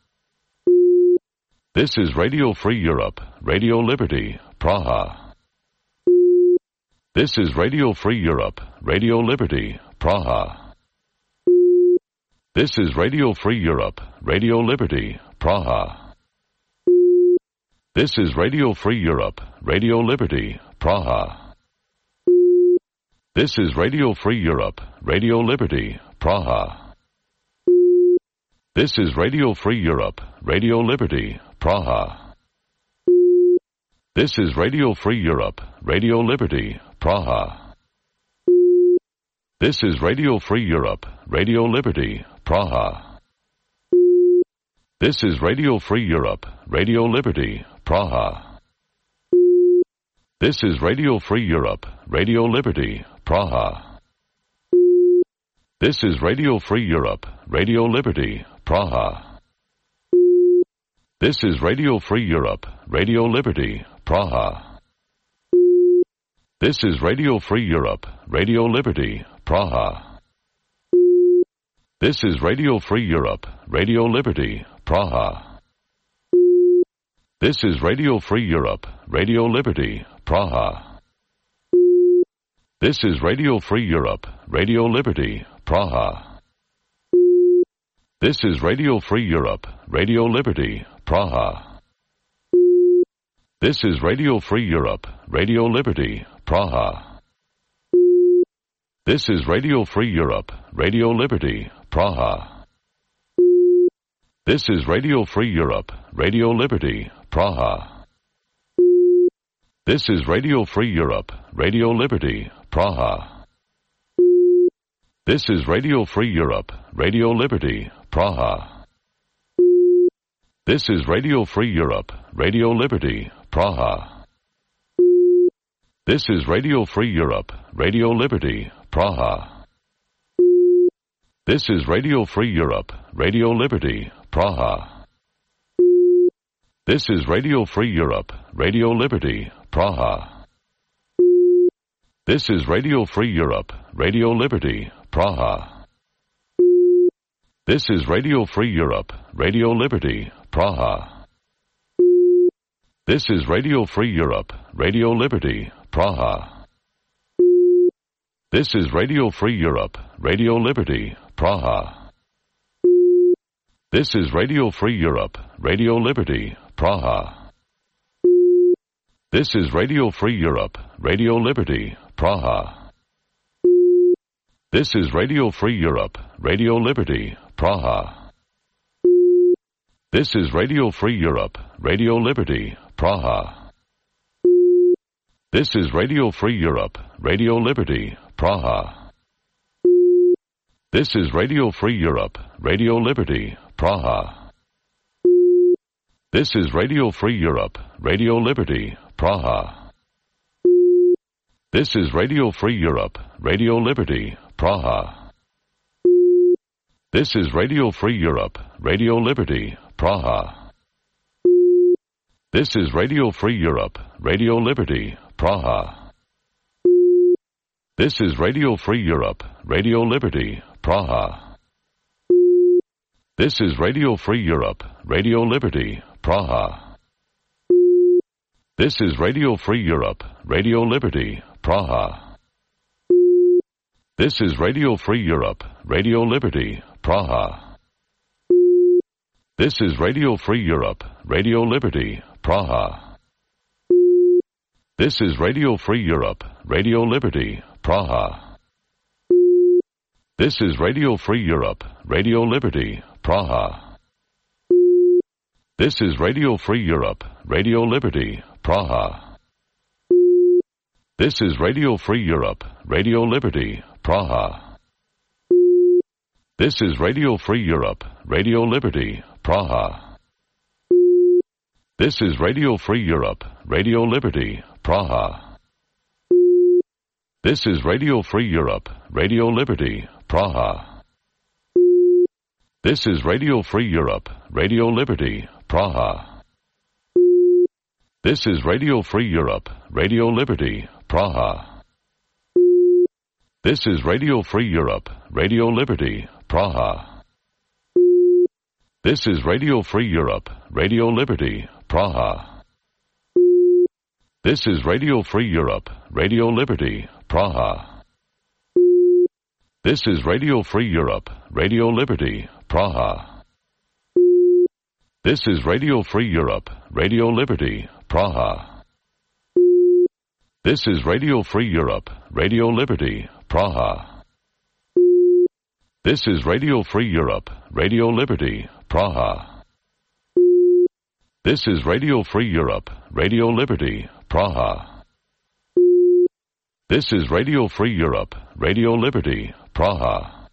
This is Radio Free Europe, Radio Liberty, Praha. This is Radio Free Europe, Radio Liberty, Praha. This is Radio Free Europe, Radio Liberty, Praha. This is Radio Free Europe, Radio Liberty, Praha. This is Radio Free Europe, Radio Liberty, Praha. This is Radio Free Europe, Radio Liberty, Praha. This is Radio Free Europe, Radio Liberty, Praha. This is Radio Free Europe, Radio Liberty, Praha. This is Radio Free Europe, Radio Liberty, Praha. This is Radio Free Europe, Radio Liberty, Praha. This is Radio Free Europe, Radio Liberty, Praha. This is Radio Free Europe, Radio Liberty, Praha. This is Radio Free Europe, Radio Liberty, Praha. This is Radio Free Europe, Radio Liberty, Praha. This is Radio Free Europe, Radio Liberty, Praha. This is Radio Free Europe, Radio Liberty, Praha. This is Radio Free Europe, Radio Liberty, Praha. This is Radio Free Europe, Radio Liberty, Praha. This is Radio Free Europe, Radio Liberty, Praha. This is Radio Free Europe, Radio Liberty, Praha. This is Radio Free Europe, Radio Liberty, Praha. This is Radio Free Europe, Radio Liberty, Praha. This is Radio Free Europe, Radio Liberty, Praha. This is Radio Free Europe, Radio Liberty, Praha. This is Radio Free Europe, Radio Liberty, Praha. This is Radio Free Europe, Radio Liberty, Praha. This is Radio Free Europe, Radio Liberty, Praha. This is Radio Free Europe, Radio Liberty, Praha. This is Radio Free Europe, Radio Liberty, Praha. This is Radio Free Europe, Radio Liberty, Praha. This is Radio Free Europe, Radio Liberty, Praha. This is Radio Free Europe, Radio Liberty, Praha. This is Radio Free Europe, Radio Liberty, Praha. This is Radio Free Europe, Radio Liberty, Praha. This is Radio Free Europe, Radio Liberty, Praha. This is Radio Free Europe, Radio Liberty, Praha. This is Radio Free Europe, Radio Liberty, Praha. This is Radio Free Europe, Radio Liberty, Praha. This is Radio Free Europe, Radio Liberty, Praha. This is Radio Free Europe, Radio Liberty, Praha. This is Radio Free Europe, Radio Liberty, Praha. This is Radio Free Europe, Radio Liberty, Praha. This is Radio Free Europe, Radio Liberty, Praha. This is Radio Free Europe, Radio Liberty, Praha. This is Radio Free Europe, Radio Liberty, Praha. This is Radio Free Europe, Radio Liberty, Praha. This is Radio Free Europe, Radio Liberty, Praha. This is Radio Free Europe, Radio Liberty, Praha. This is Radio Free Europe, Radio Liberty, Praha. This is Radio Free Europe, Radio Liberty, Praha. This is Radio Free Europe, Radio Liberty, Praha. This is Radio Free Europe, Radio Liberty, Praha. This is Radio Free Europe, Radio Liberty, Praha. This is Radio Free Europe, Radio Liberty, Praha. This is Radio Free Europe, Radio Liberty, Praha. This is Radio Free Europe, Radio Liberty, Praha. This is Radio Free Europe, Radio Liberty, Praha. This is Radio Free Europe, Radio Liberty, Praha. This is Radio Free Europe, Radio Liberty, Praha. This is Radio Free Europe, Radio Liberty, Praha. This is Radio Free Europe, Radio Liberty, Praha. This is Radio Free Europe, Radio Liberty, Praha. This is Radio Free Europe, Radio Liberty, Praha.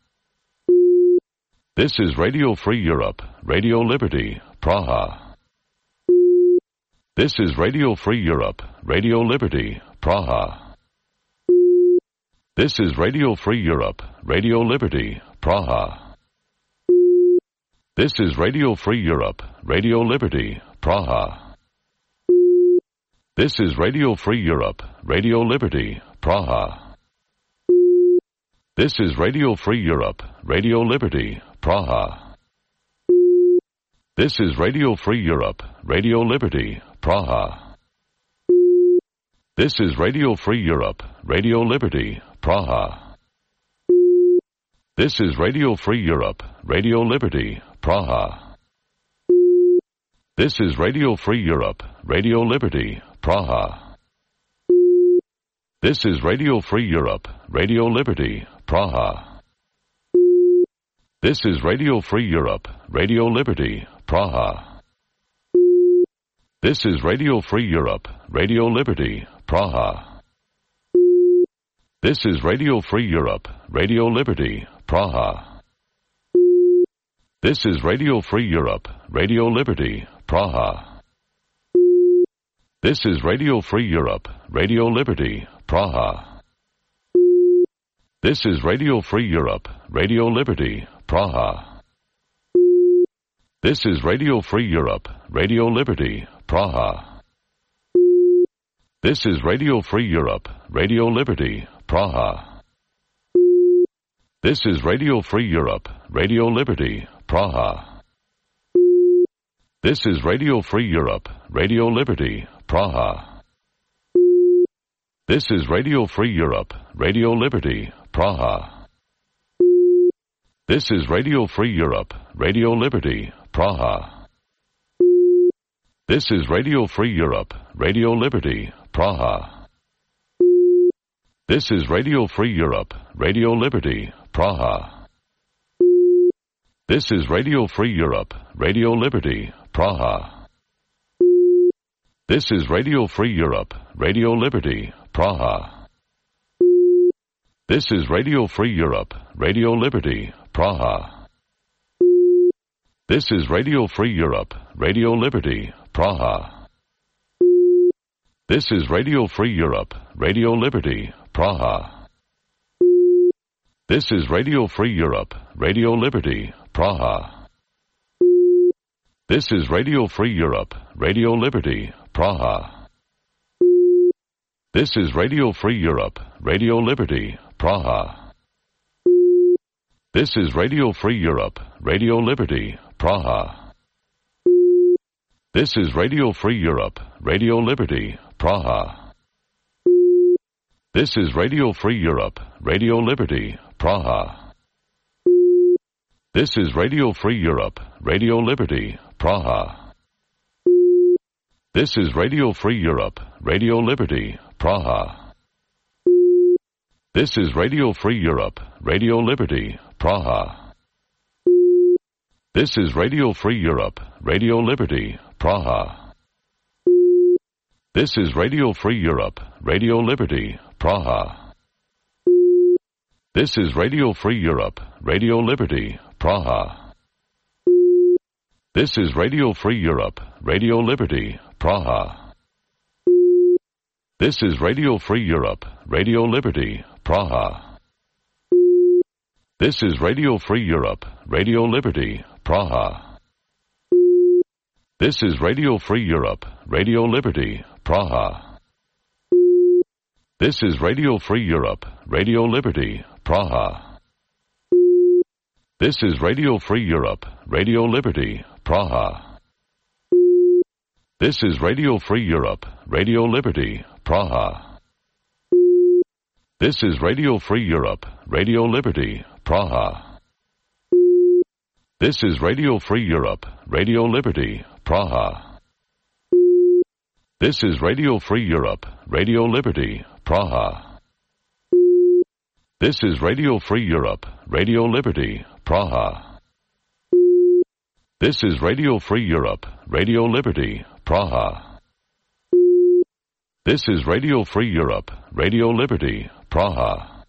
This is Radio Free Europe, Radio Liberty, Praha. This is Radio Free Europe, Radio Liberty, Praha. This is Radio Free Europe, Radio Liberty, Praha. This is Radio Free Europe, Radio Liberty, Praha. This is Radio Free Europe, Radio Liberty, Praha. This is Radio Free Europe, Radio Liberty, Praha. This is Radio Free Europe, Radio Liberty, Praha. This is Radio Free Europe, Radio Liberty, Praha. This is Radio Free Europe, Radio Liberty, Praha. This is Radio Free Europe, Radio Liberty, Praha. This is Radio Free Europe, Radio Liberty, Praha. This is Radio Free Europe, Radio Liberty, Praha. This is Radio Free Europe, Radio Liberty, Praha. This is Radio Free Europe, Radio Liberty, Praha. This is Radio Free Europe, Radio Liberty, Praha. This is Radio Free Europe, Radio Liberty, Praha. This is Radio Free Europe, Radio Liberty, Praha. This is Radio Free Europe, Radio Liberty, Praha. This is Radio Free Europe, Radio Liberty, Praha. This is Radio Free Europe, Radio Liberty, Praha. This is Radio Free Europe, Radio Liberty, Praha. This is Radio Free Europe, Radio Liberty, Praha. This is Radio Free Europe, Radio Liberty, Praha. This is Radio Free Europe, Radio Liberty, Praha. This is Radio Free Europe, Radio Liberty, Praha. This is Radio Free Europe, Radio Liberty, Praha. This is Radio Free Europe, Radio Liberty, Praha. This is Radio Free Europe, Radio Liberty, Praha. This is Radio Free Europe, Radio Liberty, Praha. This is Radio Free Europe, Radio Liberty, Praha. This is Radio Free Europe, Radio Liberty, Praha. This is Radio Free Europe, Radio Liberty, Praha. This is Radio Free Europe, Radio Liberty, Praha. This is Radio Free Europe, Radio Liberty, Praha. This is Radio Free Europe, Radio Liberty, Praha. This is Radio Free Europe, Radio Liberty, Praha. This is Radio Free Europe, Radio Liberty, Praha. This is Radio Free Europe, Radio Liberty, Praha. This is Radio Free Europe, Radio Liberty, Praha. This is Radio Free Europe, Radio Liberty, Praha. This is Radio Free Europe, Radio Liberty, Praha. This is Radio Free Europe, Radio Liberty, Praha. This is Radio Free Europe, Radio Liberty, Praha. This is Radio Free Europe, Radio Liberty, Praha. This is Radio Free Europe, Radio Liberty, Praha. This is Radio Free Europe, Radio Liberty, Praha. This is Radio Free Europe, Radio Liberty, Praha. This is Radio Free Europe, Radio Liberty, Praha. This is Radio Free Europe, Radio Liberty, Praha. This is Radio Free Europe, Radio Liberty, Praha. This is Radio Free Europe, Radio Liberty, Praha. This is Radio Free Europe, Radio Liberty, Praha. This is Radio Free Europe, Radio Liberty, Praha. This is Radio Free Europe, Radio Liberty, Praha. This is Radio Free Europe, Radio Liberty, Praha.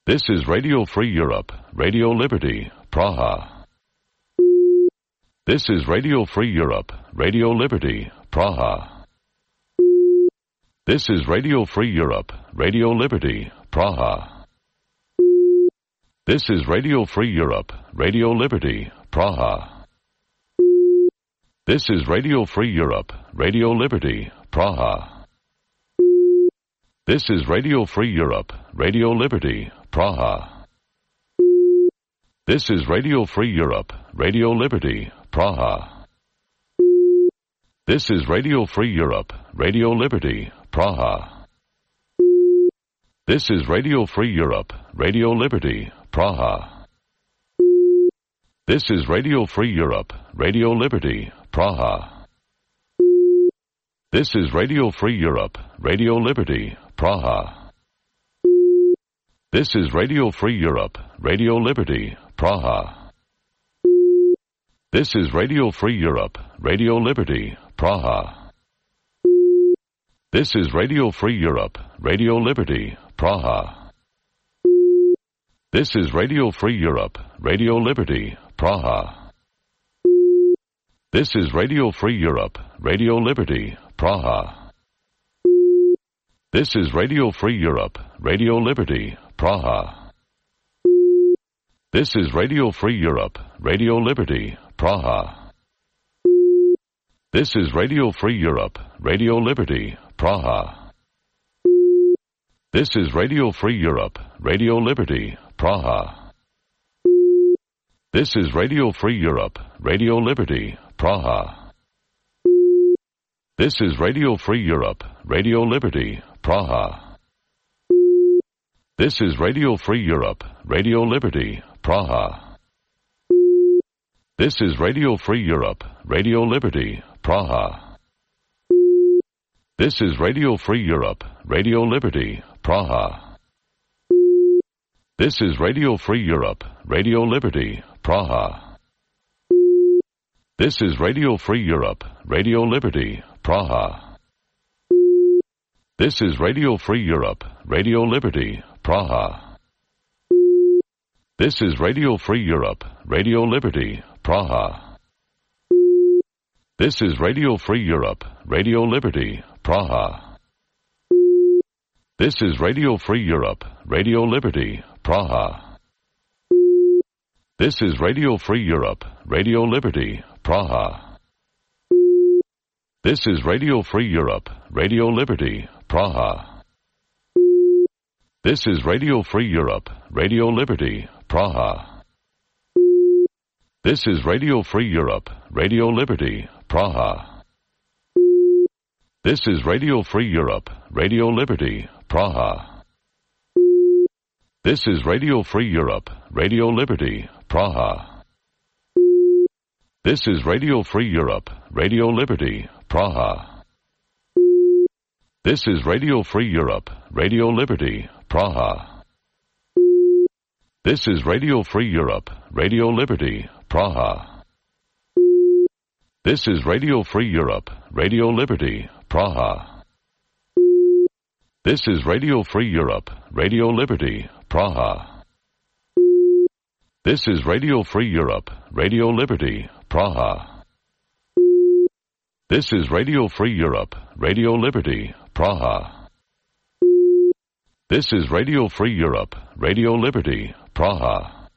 This is Radio Free Europe, Radio Liberty, Praha. This is Radio Free Europe, Radio Liberty, Praha. This is Radio Free Europe, Radio Liberty, Praha. This is Radio Free Europe, Radio Liberty, Praha. This is Radio Free Europe, Radio Liberty, Praha. This is Radio Free Europe, Radio Liberty, Praha. This is Radio Free Europe, Radio Liberty, Praha. This is Radio Free Europe, Radio Liberty, Praha. This is Radio Free Europe, Radio Liberty, Praha. This is Radio Free Europe, Radio Liberty, Praha. This is Radio Free Europe, Radio Liberty, Praha. This is Radio Free Europe, Radio Liberty, Praha. This is Radio Free Europe, Radio Liberty, Praha. This is Radio Free Europe, Radio Liberty, Praha. This is Radio Free Europe, Radio Liberty, Praha. This is Radio Free Europe, Radio Liberty, Praha. This is Radio Free Europe, Radio Liberty, Praha. This is Radio Free Europe, Radio Liberty, Praha. This is Radio Free Europe, Radio Liberty, Praha. This is Radio Free Europe, Radio Liberty, Praha. This is Radio Free Europe, Radio Liberty, Praha. This is Radio Free Europe, Radio Liberty, Praha. This is Radio Free Europe, Radio Liberty, Praha. This is Radio Free Europe, Radio Liberty, Praha. This is Radio Free Europe, Radio Liberty, Praha. This is Radio Free Europe, Radio Liberty, Praha. This is Radio Free Europe, Radio Liberty, Praha. This is Radio Free Europe, Radio Liberty, Praha. This is Radio Free Europe, Radio Liberty, Praha. This is Radio Free Europe, Radio Liberty, Praha. This is Radio Free Europe, Radio Liberty, Praha. This is Radio Free Europe, Radio Liberty, Praha. This is Radio Free Europe, Radio Liberty, Praha. This is Radio Free Europe, Radio Liberty, Praha. This is Radio Free Europe, Radio Liberty, Praha. This is Radio Free Europe, Radio Liberty, Praha. This is Radio Free Europe, Radio Liberty, Praha. This is Radio Free Europe, Radio Liberty, Praha. This is Radio Free Europe, Radio Liberty, Praha. This is Radio Free Europe, Radio Liberty, Praha. This is Radio Free Europe, Radio Liberty, Praha. This is Radio Free Europe, Radio Liberty, Praha. This is Radio Free Europe, Radio Liberty, Praha. This is Radio Free Europe, Radio Liberty, Praha. This is Radio Free Europe, Radio Liberty, Praha.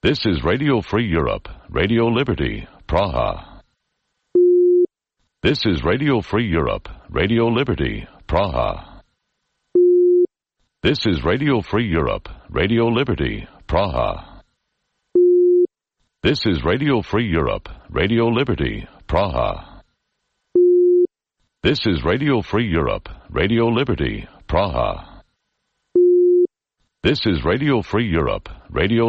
This is Radio Free Europe, Radio Liberty, Praha. This is Radio Free Europe, Radio Liberty, Praha. This is Radio Free Europe, Radio Liberty, Praha. This is Radio Free Europe, Radio Liberty, Praha. This is Radio Free Europe, Radio Liberty, Praha. This is Radio Free Europe, Radio